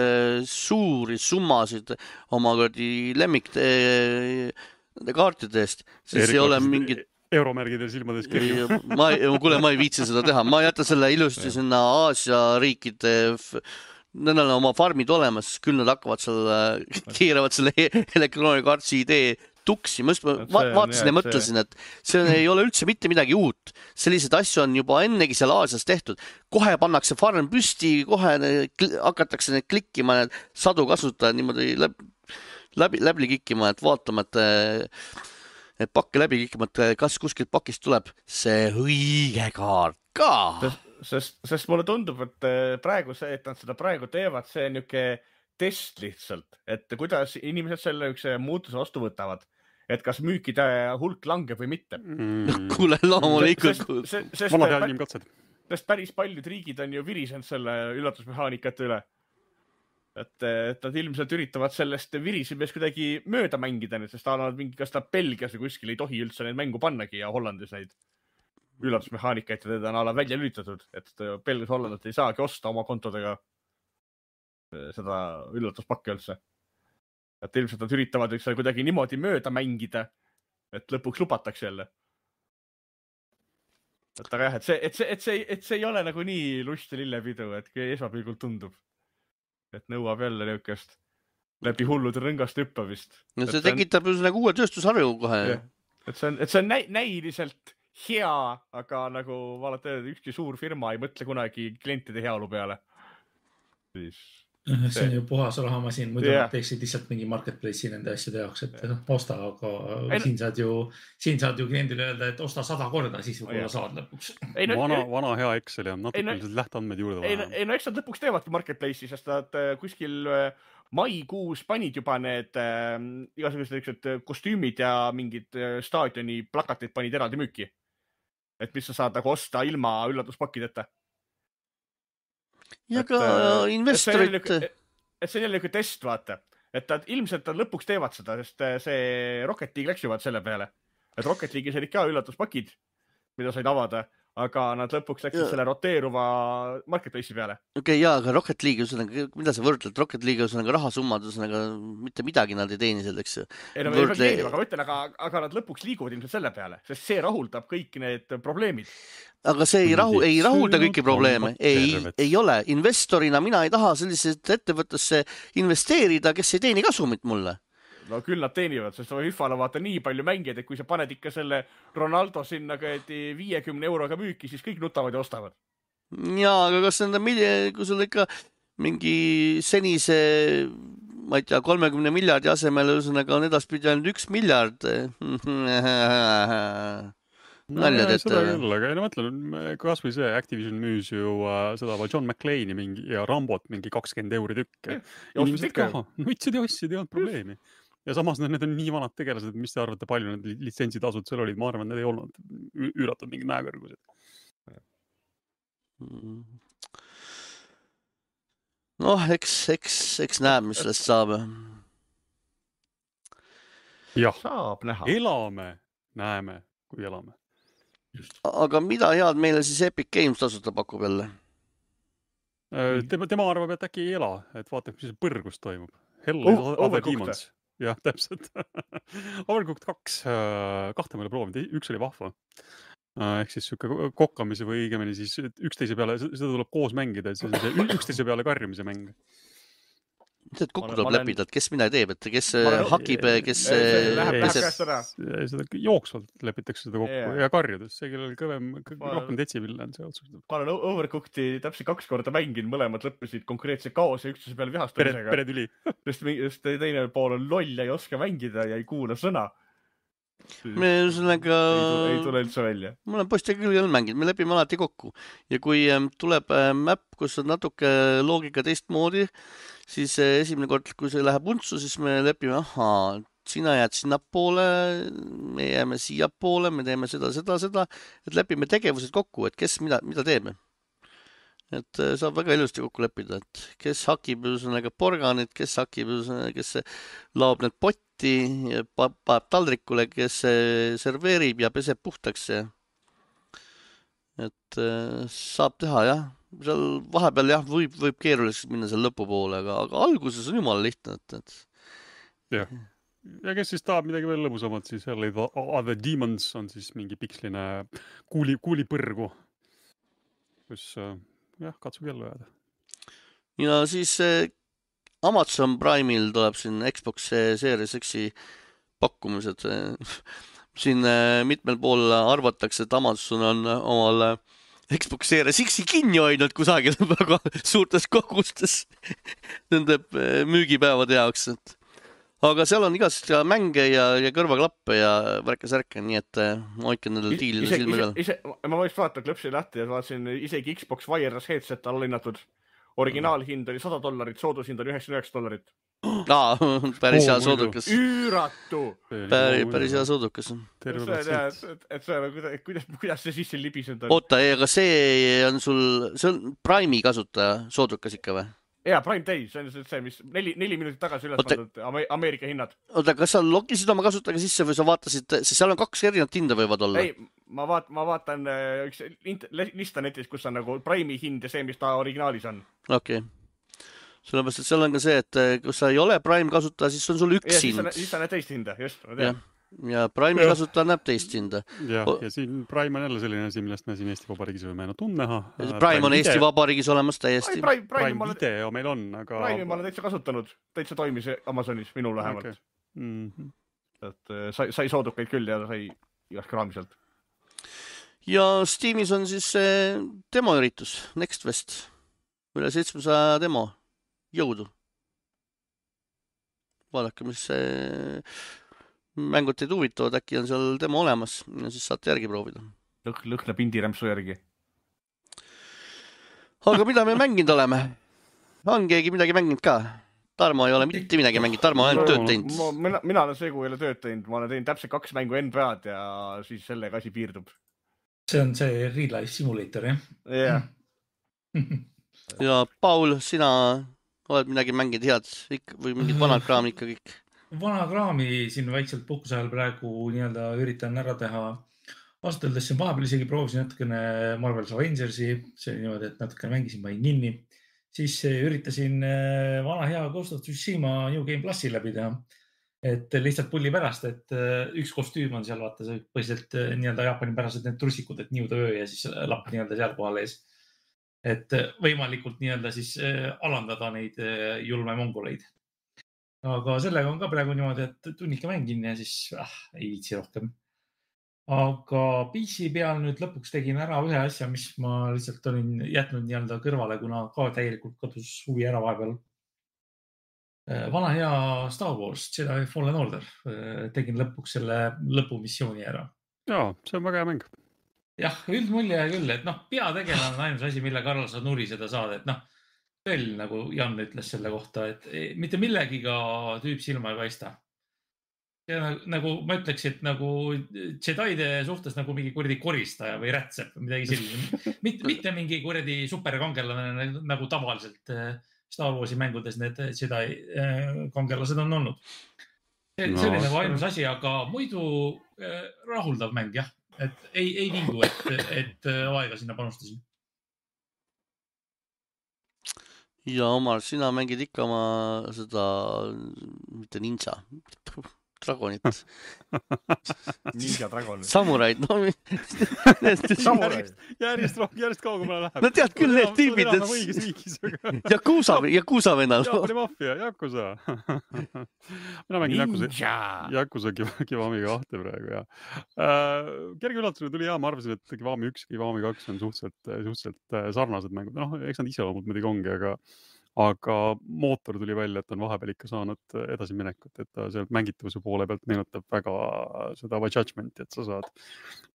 suuri summasid oma lemmik nende kaartide eest, siis Erik, ei ole mingit... Euromärgide silmades kirju. ma, kuule, ma ei viitsi seda teha. Ma jätan selle ilusti sinna Aasia riikide... Nendel on oma farmid olemas, küll nad hakkavad seal, keeravad selle elektroonikaartsi idee tuksi. Ma just va vaatasin ja mõtlesin, et see ei ole üldse mitte midagi uut. Sellised asju on juba ennegi seal Aasias tehtud. Kohe pannakse farm püsti, kohe hakatakse need klikkima, need sadu kasutajad niimoodi läbi, läbi, läbi kikkima, et vaatama, et, et pakke läbi kikkima, et kas kuskilt pakist tuleb see õige kaart ka. Sest, sest mulle tundub, et praegu see, et nad seda praegu teevad, see on niuke test lihtsalt, et kuidas inimesed selle üks muutuse vastu võtavad, et kas müükide hulk langeb või mitte. Mm. Kuule, loomulikult. Vanad jälgim katsed. Sest päris paljud riigid on ju virisenud selle üllatusmehaanikate üle. et, et nad ilmselt üritavad sellest virisimest kuidagi mööda mängida, sest ta on mingi, kas ta Belgias või kuskil ei tohi üldse neid mängu pannagi ja Hollandis neid üllatusmehaanikaid ja teda on ala välja lülitatud, et Belgias Hollandit ei saagi osta oma kontodega seda üllatuspakki üldse. Et ilmselt nad üritavad üks kuidagi niimoodi mööda mängida, et lõpuks lubatakse jälle. Et aga jah, et see, et see, et see, et see ei ole nagu nii lust ja lillepidu, et kui esmapilgult tundub. Et nõuab jälle niukest läbi hullude rõngast hüppamist. No see tekitab ju nagu uue tööstusharju kohe. Et see on, et see on näi, näiliselt hea, aga nagu vaadata, ükski suur firma ei mõtle kunagi klientide heaolu peale. Siis... see on ju puhas rahamasin, muidu yeah. teeksid lihtsalt mingi marketplace'i nende asjade jaoks, et yeah. osta, aga ei, siin saad ju, siin saad ju kliendile öelda, et osta sada korda, siis võib-olla oh, saad lõpuks. Ei, no, vana, vana hea Excel ja natuke no, lähteandmeid juurde vaja. Ei, no eks nad lõpuks teevadki marketplace'i, sest nad kuskil maikuus panid juba need äh, igasugused kostüümid ja mingid staadioni plakatid panid eraldi müüki. Et mis sa saad nagu osta ilma üllatuspakideta. Ja ka et, investorid... Et see, jälle, et see on jälle üks test, vaata. Et nad ilmselt nad lõpuks teevad seda, sest see Rocket League läks juba selle peale. Et Rocket League'is olid ka üllatuspakid, mida said avada, aga nad lõpuks läksid ja. Selle roteeruva marketplace'i peale. Okei, okay, jaa, aga Rocket League, mida sa võrdled? Rocket League on rahasummad, mitte midagi nad ei teeni selleks. Ei, no Võrdle... ei teeni, aga mõtlen, aga, aga nad lõpuks liiguvad ilmselt selle peale, sest see rahuldab kõik need probleemid. Aga see ei, rahu, ei rahulda kõiki probleeme. Ei, ei ole. Investorina mina ei taha sellised ettevõttesse investeerida, kes ei teeni kasumit mulle. No küll nad teenivad, sest FIFA-le vaata nii palju mängijad, et kui sa paned ikka selle Ronaldo sinna viiekümne euroga müüki, siis kõik nutavad ja ostavad. Jaa, aga kas nende, kui sul ikka mingi senise, ma ei tea, kolmekümne miljardi asemel ühesõnaga on edaspidi ainult üks miljard. Naljad, et... Seda küll, aga ei no mõtlen, kas või see Activision müüs ju uh, seda John McClane'i mingi, ja Rambot mingi kakskümmend euri tükk. Inimesed ka, nutsid ja ostsid, ei olnud probleemi. Ja samas need on nii vanad tegelased, mis te arvate, palju need litsentsitasud seal olid? Ma arvan, need ei olnud üüratud mingid mäekõrgused. Noh, eks, eks, eks näeb, mis sellest saab. Jah, saab näha. Elame, näeme, kui elame. Just. Aga mida head meile siis Epic Games tasuta pakub jälle? Tema, tema arvab, et äkki ei ela, et vaatab, mis põrgus toimub. Hell is oh, Other Demons. Jah, täpselt. Overcooked kaks, kahte meile proovinud, üks oli vahva. Ehk siis siuke kokkamise või õigemini siis üksteise peale, seda tuleb koos mängida, et see on see üksteise peale karjumise mäng. Mis et kokku tuleb läpida, et kes mida teeb, et kes olen... hakib, kes... Läheb käest ära. Seda jooksvalt lepitakse seda kokku yeah. ja karjudes. See kellel kõvem, rohkem detsipille on see otsustab. Ma olen Overcooked'i täpselt kaks korda mängin, mõlemad lõppesid konkreetse kaos ja üksteise peale vihastamisega. Pere, pere tüli. Sest, sest teine pool on loll ja ei oska mängida ja ei kuula sõna. Me ühesõnaga... Ei, ei tule üldse välja. Ma olen postiga küll mänginud, me lepime alati kokku. Ja kui tuleb map, kus on natuke loogika teistmoodi, siis esimene kord, kui see läheb untsu, siis me lepime, ahaa, sina jääd sinna poole, me jääme siia poole, me teeme seda, seda, seda, et lepime tegevused kokku, et kes mida, mida teeme. Et saab väga ilusti kokku leppida, et kes hakib ühesõnaga porganit, kes hakib ühesõnaga, kes laob need potti, paneb taldrikule, kes serveerib ja peseb puhtaks. Et saab teha, jah. Seal vahepeal jah, võib, võib keeruliseks minna seal lõpupoole, aga, aga alguses on jumala lihtne. Et, et... jah. Ja kes siis tahab midagi veel lõbusamad, siis jälle Other Demons on siis mingi piksline kuuli, kuuli põrgu, kus jah, katsub jälle jääda. Ja siis Amazon Prime'il tuleb siin Xbox Series X-i pakkumised. Siin mitmel pool arvatakse, et Amazon on omal Xbox Series X-i kinni hoidnud kusagil väga suurtes kogustes nende müügipäevade jaoks. Aga seal on igast mänge ja, ja kõrvaklappe ja värke-särke, nii et hoidke nendel diilile silme peal. Ise, ma võiks vaadata klõpsi lahti ja vaatasin isegi Xbox Wireless headset alla hinnatud. Originaalhind oli sada dollarit, soodushind oli üheksakümmend üheksa dollarit. Aa, päris hea soodukas. Üüratu! Päris, päris hea soodukas. Et, et see on, kuidas, kuidas see sisse libisend on? Oota, aga see on sul, see on Prime'i kasutaja soodukas ikka või? Jaa, Prime Day, see on see, mis neli, neli minutit tagasi üles Oota- pandud Ameerika hinnad. Oota, kas sa logisid oma kasutajaga sisse või sa vaatasid, siis seal on kaks erinevat hinda võivad olla? Ei, ma, vaat, ma vaatan äh, üks int- lista netis, kus on nagu Prime'i hind ja see, mis ta originaalis on. Okei. Sellepärast, et seal on ka see, et kui sa ei ole Prime kasutaja, siis on sul üks Ja siis sa, hind. siis sa näed teist hinda, just. Ma Ja, tean. ja Prime kasutaja näeb teist hinda. ja, O- ja siin Prime on jälle selline asi, millest me siin Eesti Vabariigis võime ainult tundnäha. Prime on Eesti Vabariigis olemas Ai, täiesti. Prime, Prime, Prime ma olen, video meil on, aga... Prime'i ma olen täitsa kasutanud. Täitsa toimis Amazonis, minul vähemalt. Okay. Mm-hmm. Et, äh, sai, sai soodukaid küll ja sai igast kraami sealt. Ja Steamis on siis see demoüritus, Next Fest. Üle seitsmesaja demo. Jõudu. Vaadake, mis see mängud teid huvitavad, äkki on seal demo olemas ja siis saate järgi proovida. Lõh, lõhna pindirämpsu järgi. Aga mida me mänginud oleme? On keegi midagi mänginud ka? Tarmo ei ole mitte midagi mänginud, Tarmo on tööd teinud. Ma, mina, mina olen see, kui ei ole tööd teinud. Ma olen teinud täpselt kaks mängu N B A-d ja siis sellega asi piirdub. See on see Real Life Simulator, jah? Yeah. Ja Paul, sina oled midagi mänginud head ikka, või mingid vanad kraam ikka kõik? Vana kraami siin väikselt puhkuse ajal praegu nii-öelda üritan ära teha. Vastades siin vahepeal isegi proovisin natukene Marvel's Avengersi, see oli niimoodi, et natukene mängisin panin kinni. Siis üritasin vana hea Ghost of Tsushima New Game Plusi läbi teha. Et lihtsalt pulli pärast, et üks kostüüm on seal, vaata see põhiselt nii-öelda Jaapani pärased need trussikud, et niuda öö ja siis lapp nii-öelda seal kohal ees. Et võimalikult nii-öelda siis alandada neid julme mongoleid. Aga sellega on ka praegu niimoodi, et tunnike mängin ja siis ah, ei viitsi rohkem. Aga P C peal nüüd lõpuks tegin ära ühe asja, mis ma lihtsalt olin jätnud nii-öelda kõrvale, kuna ka täielikult kadus huvi ära vahepeal. Vana hea Star Wars, Jedi Fallen Order. Tegin lõpuks selle lõpumissiooni ära. Jaa, see on väga hea mäng. Jah, üldmulje küll, et noh, peategelane on ainus asi, mille Karl sa nuri seda saada, et noh, veel nagu Jan ütles selle kohta, et mitte millegiga tüüp silma ei paista. Ja nagu ma ütleks, et nagu Jedide suhtes nagu mingi kuradi koristaja või rätsep või midagi selline. Mitte, mitte mingi kuradi superkangelane nagu tavaliselt Star Warsi mängudes need Jedi kangelased on olnud. See, no, see oli nagu ainus asi, aga muidu rahuldav mäng, jah. Et ei, ei vingu, et, et aega sinna panustasin. Ja Omar, sina mängid ikka oma seda, mitte ninja, dragonit. Ninja dragon. Samuraid, no. Samuraid. Järjest, järjest kaugemale läheb. No tead küll need tüübid, et... Õiges riigis, aga... Jakusa, Jakusa vennal. Jaapani maffia, Jakusa. Mina mängin Jakusa, Jakusa Kiwami kahte praegu, ja. Uh, kerge üllatusena tuli hea, ma arvasin, et Kiwami üks ja Kiwami kaks on suhteliselt, suhteliselt sarnased mängud. No, eks nad ise loomult muidugi ongi, aga aga mootor tuli välja, et on vahepeal ikka saanud edasi minekut, et ta sealt mängitavuse poole pealt meenutab väga seda Judgmenti, et sa saad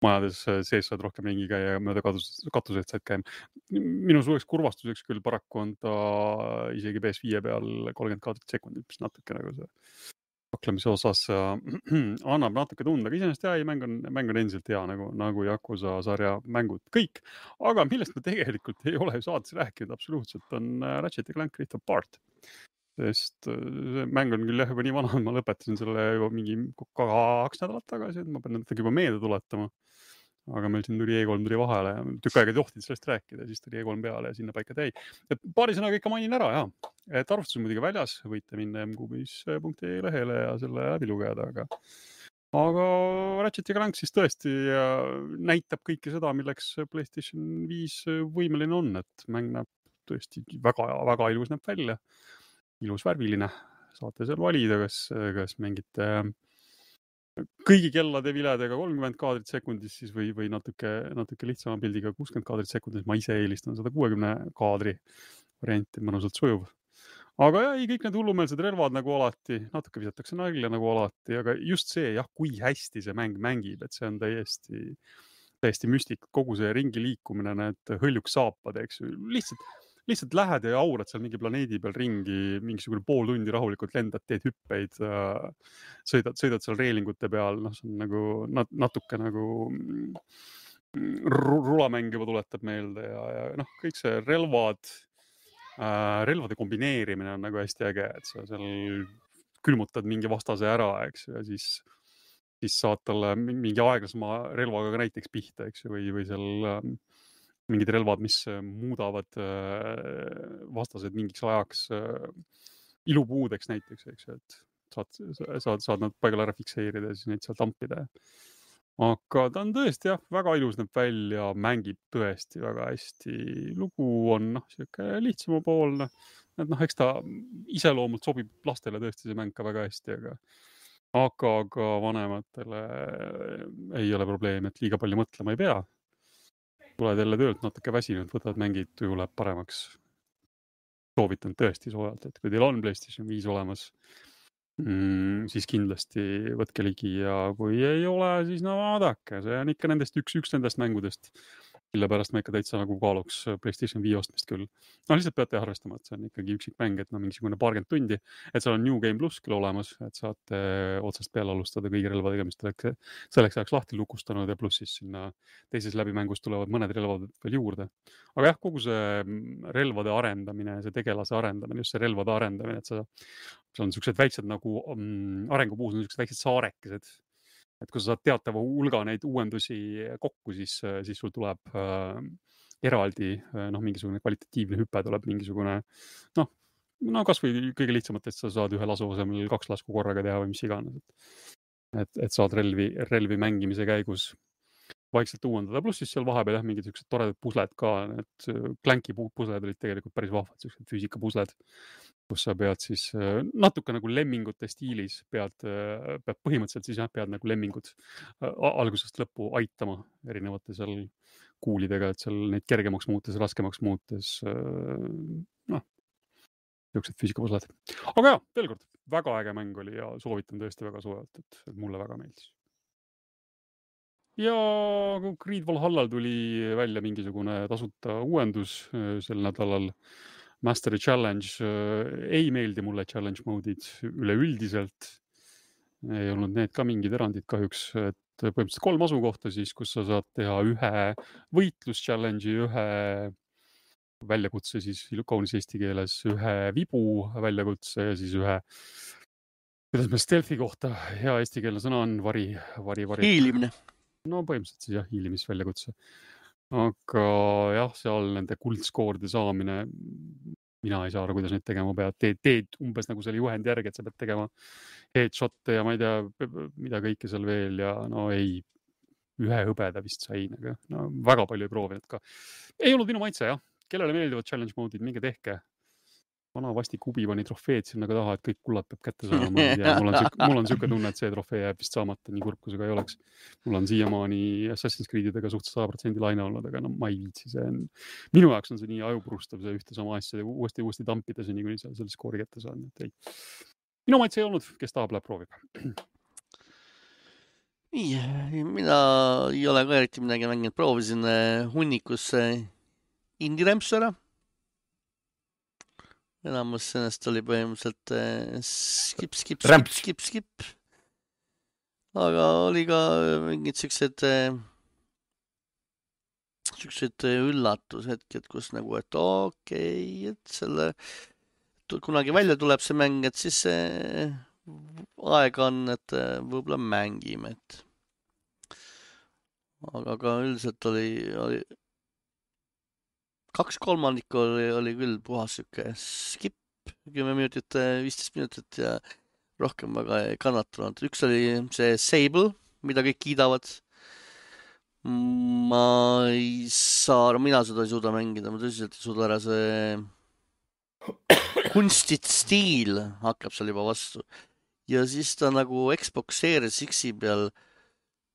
majades sees saad rohkem ringi käia ja mööda katuseid saad käima. Minu suureks kurvastuseks küll paraku on ta isegi P S viie peal kolmkümmend kaadrit sekundit, mis natuke nagu see paklemise osas annab natuke tunda, aga iseenesest hea, mäng on, mäng on endiselt hea, nagu, nagu Yakuza sarja mängud kõik. Aga millest me tegelikult ei ole saates rääkinud absoluutselt, on Ratchet ja Clank Rift Apart. Sest see mäng on küll jah juba nii vana, ma lõpetasin selle juba mingi kaks nädalat tagasi, et ma pean natuke juba meelde tuletama. Aga meil siin tuli E kolm tuli vahele ja tükk aega tohtid sellest rääkida, siis tuli E kolm peale ja sinna paika täi. Et paari sõnaga ikka mainin ära, jah. Et arvustus on muidugi väljas, võite minna m kubis punkt e lehele ja selle läbi lugeda, aga, aga Ratchet ja Clank siis tõesti näitab kõike seda, milleks PlayStation viis võimeline on, et mäng näeb tõesti väga, väga ilus näeb välja, ilus värviline, saate seal valida, kas, kas mingite kõigi kellade viledega kolmkümmend kaadrit sekundis siis või, või natuke, natuke lihtsama pildiga kuuskümmend kaadrit sekundis, ma ise eelistan sada kuuekümne kaadri varianti, mõnusalt sujuv. Aga jah, kõik need hullumeelsed relvad nagu alati, natuke visatakse nalja nagu alati, aga just see, jah, kui hästi see mäng mängib, et see on täiesti, täiesti müstik, kogu see ringi liikumine, need hõljuks saapad, eks ju, lihtsalt, lihtsalt lähed ja aurad seal mingi planeedi peal ringi, mingisugune pool tundi rahulikult lendad, teed hüppeid, sõidad, sõidad seal reelingute peal, noh, see on nagu natuke nagu rulamäng juba tuletab meelde ja, ja noh, kõik see relvad, relvade kombineerimine on nagu hästi äge, et sa seal külmutad mingi vastase ära, eks ju, ja siis, siis saad talle mingi aeglasema relvaga ka näiteks pihta, eks ju, või, või seal äh, mingid relvad, mis muudavad äh, vastased mingiks ajaks äh, ilupuudeks näiteks, eks ju, et saad, saad, saad nad paigale ära fikseerida ja siis neid seal tampida. Aga ta on tõesti jah, väga ilus näeb välja, mängib tõesti väga hästi. Lugu on noh, siuke lihtsama poolne. Et noh, eks ta iseloomult sobib lastele tõesti see mäng ka väga hästi, aga, aga ka vanematele ei ole probleem, et liiga palju mõtlema ei pea. Tuled jälle töölt natuke väsinud, võtad mängid, tuju läheb paremaks. Soovitan tõesti soojalt, et kui teil on PlayStation viis olemas, Mm, siis kindlasti võtke ligi ja kui ei ole, siis no vaadake, see on ikka nendest üks, üks nendest mängudest, mille pärast ma ikka täitsa nagu kaaluks PlayStation viis ostmist küll. No lihtsalt peate arvestama, et see on ikkagi üksik mäng, et no mingisugune paarkümmend tundi, et seal on New Game Plus küll olemas, et saate otsast peale alustada kõigi relvadega, mis selleks, selleks ajaks lahti lukustanud ja pluss siis sinna teises läbimängus tulevad mõned relvad veel juurde. Aga jah, kogu see relvade arendamine, see tegelase arendamine, just see relvade arendamine, et sa, seal on sellised väiksed nagu um, arengupuus on sellised väiksed saarekesed. Et kui sa saad teatava hulga neid uuendusi kokku, siis, siis sul tuleb äh, eraldi noh, mingisugune kvalitatiivne hüpe, tuleb mingisugune noh, no kas või kõige lihtsamat, et sa saad ühe lasu asemel kaks lasku korraga teha või mis iganes. Et, et saad relvi, relvi mängimise käigus vaikselt uuendada. Pluss siis seal vahepeal jah, mingid sellised toredad pusled ka, need Clanki pusled olid tegelikult päris vahvad, sellised füüsika pusled, kus sa pead siis natuke nagu lemmingute stiilis pead, pead põhimõtteliselt siis jah, pead nagu lemmingud algusest lõppu aitama erinevate seal kuulidega, et seal neid kergemaks muutes, raskemaks muutes, noh, sellised füüsikapusled. Aga jah, veel kord, väga äge mäng oli ja soovitan tõesti väga soojalt, et, et mulle väga meeldis. Ja Creed Valhallal tuli välja mingisugune tasuta uuendus sel nädalal. Mastery Challenge ei meeldi mulle challenge mode'id üleüldiselt. Ei olnud need ka mingid erandid kahjuks, et põhimõtteliselt kolm asukohta siis, kus sa saad teha ühe võitlus challenge'i, ühe väljakutse siis kaunis eesti keeles, ühe vibu väljakutse ja siis ühe, kuidas me stealthi kohta hea eesti keelne sõna on, vari, vari, vari. Hiilimine. No põhimõtteliselt siis jah, hiilimisväljakutse. Aga jah, seal nende kuldskoorde saamine, mina ei saa aru, kuidas neid tegema pead. Teed, teed umbes nagu selle juhendi järgi, et sa pead tegema headshotte ja ma ei tea, mida kõike seal veel ja no ei, ühe hõbeda vist sain, aga no, väga palju ei proovinud ka. Ei olnud minu maitse, jah. Kellele meeldivad challenge mode'id, minge tehke. Vana vasti kubi pani trofeed sinna ka taha, et kõik kullad peab kätte saama. Ja mul on siuke, mul on siuke tunne, et see trofee jääb vist saamata, nii kurb, kui see ka ei oleks. Mul on siiamaani Assassin's Creedidega suht sada protsenti laine olnud, aga no ma ei viitsi. See on, minu jaoks on see nii ajupurustav, see ühte sama asja uuesti uuesti tampida, see nii kuni seal selle skoori kätte saan. Et ei. Minu maitse ei olnud, kes tahab, läheb proovib. Mina ei ole ka eriti midagi mänginud. Proovisin hunnikus Indie Rämpsu ära. Enamus sellest oli põhimõtteliselt äh, skip, skip, skip, skip, skip. Aga oli ka mingid siuksed äh, siuksed üllatushetked, kus nagu, et okei, okay, et selle kunagi välja tuleb see mäng, et siis äh, aega on, et äh, võib-olla mängime, et aga ka üldiselt oli, oli kaks kolmandikku oli, oli küll puhas siuke skip, kümme minutit, viisteist minutit ja rohkem väga ei kannatanud. Üks oli see Sable, mida kõik kiidavad. Ma ei saa, mina seda ei suuda mängida, ma tõsiselt ei suuda ära see kunstit stiil hakkab seal juba vastu. Ja siis ta nagu Xbox Series X-i peal,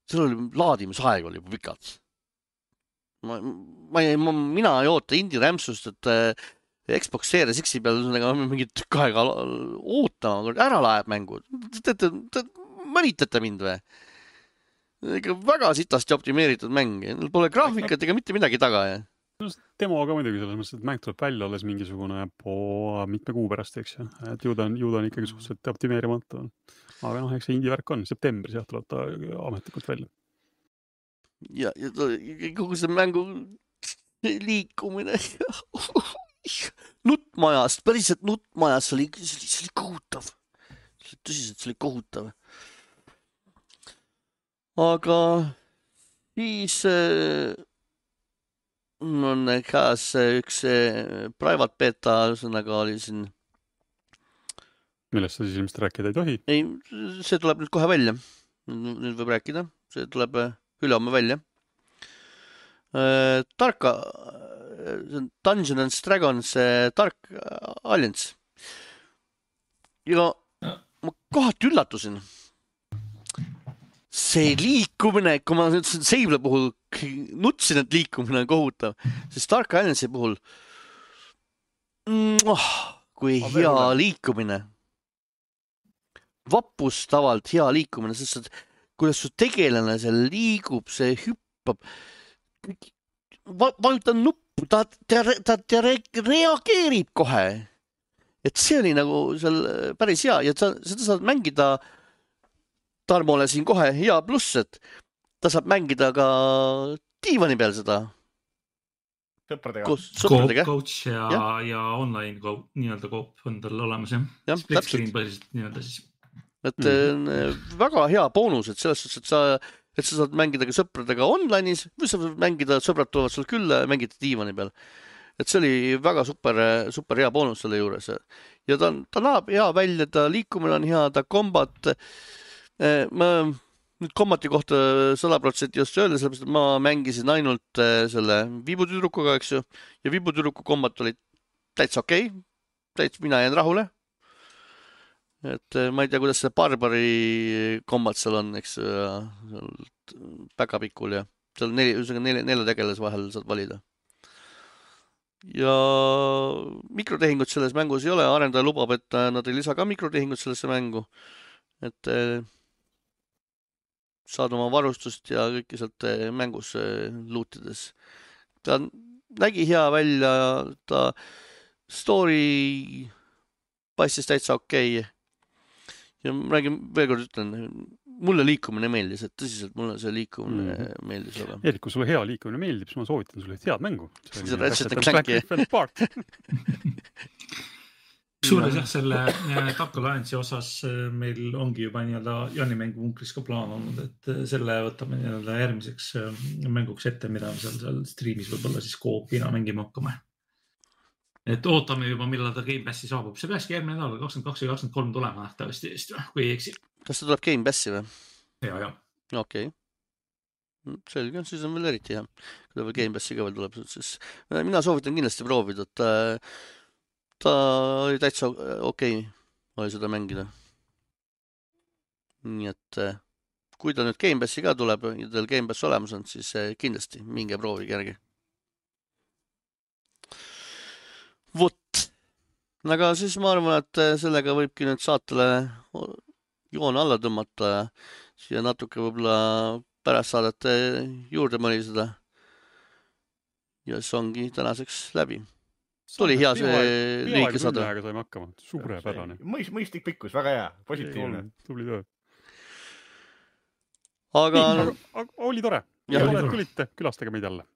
seal oli laadimisaeg oli juba pikalt. Ma, ma, ma, mina ei oota Indie Rämpsust, et äh, Xbox Series X-i peal mingit tükk aega ootama, ära läheb mängu. Te, te, te mõnitate mind või? Ega väga sitasti optimeeritud mäng. Neil pole graafikat ega mitte midagi taga. Ja? Demo aga muidugi selles mõttes, et mäng tuleb välja alles mingisugune po mitme kuu pärast, eks ju. Et ju ta on, ju ta on ikkagi suhteliselt optimeerimata. Aga noh, eks see indie värk on. Septembris jah, tuleb ta ametlikult välja. Ja, ja kogu see mängu liikumine nuttmajast, päriselt nuttmajast, see oli, see oli, see oli kohutav. Tõsiselt, see oli kohutav. Aga siis on käes üks private beta, ühesõnaga oli siin. Millest sa siis ilmselt rääkida ei tohi? Ei, see tuleb nüüd kohe välja. Nüüd võib rääkida. See tuleb ülehomme välja. Tarka, Dungeons and Dragons Dark Alliance. Ja ma kohati üllatusin. See liikumine, kui ma ütlesin Seibla puhul nutsin, et liikumine on kohutav, siis Dark Alliance'i puhul oh, kui ma hea veel. Liikumine. Vapustavalt hea liikumine, sest et kuidas su tegelane seal liigub, see hüppab, vajutan nuppu, ta, ta, ta, ta reageerib kohe. Et see oli nagu seal päris hea ja ta, seda saad mängida Tarmole siin kohe hea pluss, et ta saab mängida ka diivani peal seda. Sõpradega. Sõpradega. Coach ja, ja. ja online koop, nii-öelda koop on tal olemas, jah. Ja, Split screen põhiliselt nii-öelda siis. Et mm. väga hea boonus, et selles suhtes, et sa, et sa saad mängida ka sõpradega online'is või sa saad mängida, sõbrad tulevad sul külla ja mängida diivani peal. Et see oli väga super, super hea boonus selle juures. Ja ta, ta näeb hea välja, ta liikumine on hea, ta kombat. Ma nüüd kombati kohta sada protsenti just öelda, sellepärast, et ma mängisin ainult selle viibutüdrukuga, eks ju. Ja viibutüdruku kombat oli täitsa okei. Okay. Täitsa mina jään rahule. Et ma ei tea, kuidas see barbari kombat seal on, eks päkapikul ja seal neli, neli, nelja tegeles vahel saad valida. Ja mikrotehingut selles mängus ei ole, arendaja lubab, et nad ei lisa ka mikrotehingut sellesse mängu. Et saad oma varustust ja kõike sealt mängus luutides. Ta nägi hea välja, ta story paistis täitsa okei. Ja ma räägin, veel kord ütlen, mulle liikumine meeldis, et tõsiselt mulle see liikumine mm. meeldis. Aga. Erik, kui sulle hea liikumine meeldib, siis ma soovitan sulle head mängu. See on Ratchet and Clanki. Suures jah, selle Dark Alliance'i osas meil ongi juba nii-öelda Janni mängu punkris ka plaan olnud, et selle võtame nii-öelda järgmiseks mänguks ette, mida seal, seal streamis võib-olla siis koopina mängima hakkame. Et ootame juba, millal ta Game Passi saabub. See peaski järgmine nädal kakskümmend kaks ja kakskümmend kolm tulema nähtavasti eest, kui ei eksi. Kas ta tuleb Game Passi või? Ja, ja. Okei. Okay. Selge, siis on veel eriti hea. Kui ta veel Game Passi ka veel tuleb, siis mina soovitan kindlasti proovida, et ta oli täitsa okei, oli seda mängida. Nii et kui ta nüüd Game Passi ka tuleb ja teil Game Pass olemas on, siis kindlasti minge proovige järgi. Vot. Aga siis ma arvan, et sellega võibki nüüd saatele joone alla tõmmata ja siia natuke võib-olla pärast saadete juurde mõliseda. Ja see ongi tänaseks läbi. Tuli hea see lühike saade. Peaaegu saime hakkama. Suurepärane. Mõistlik pikkus, väga hea. Positiivne. Tubli töö. Aga... Nii, aga oli tore. Ja, ja tulite, külastage meid jälle.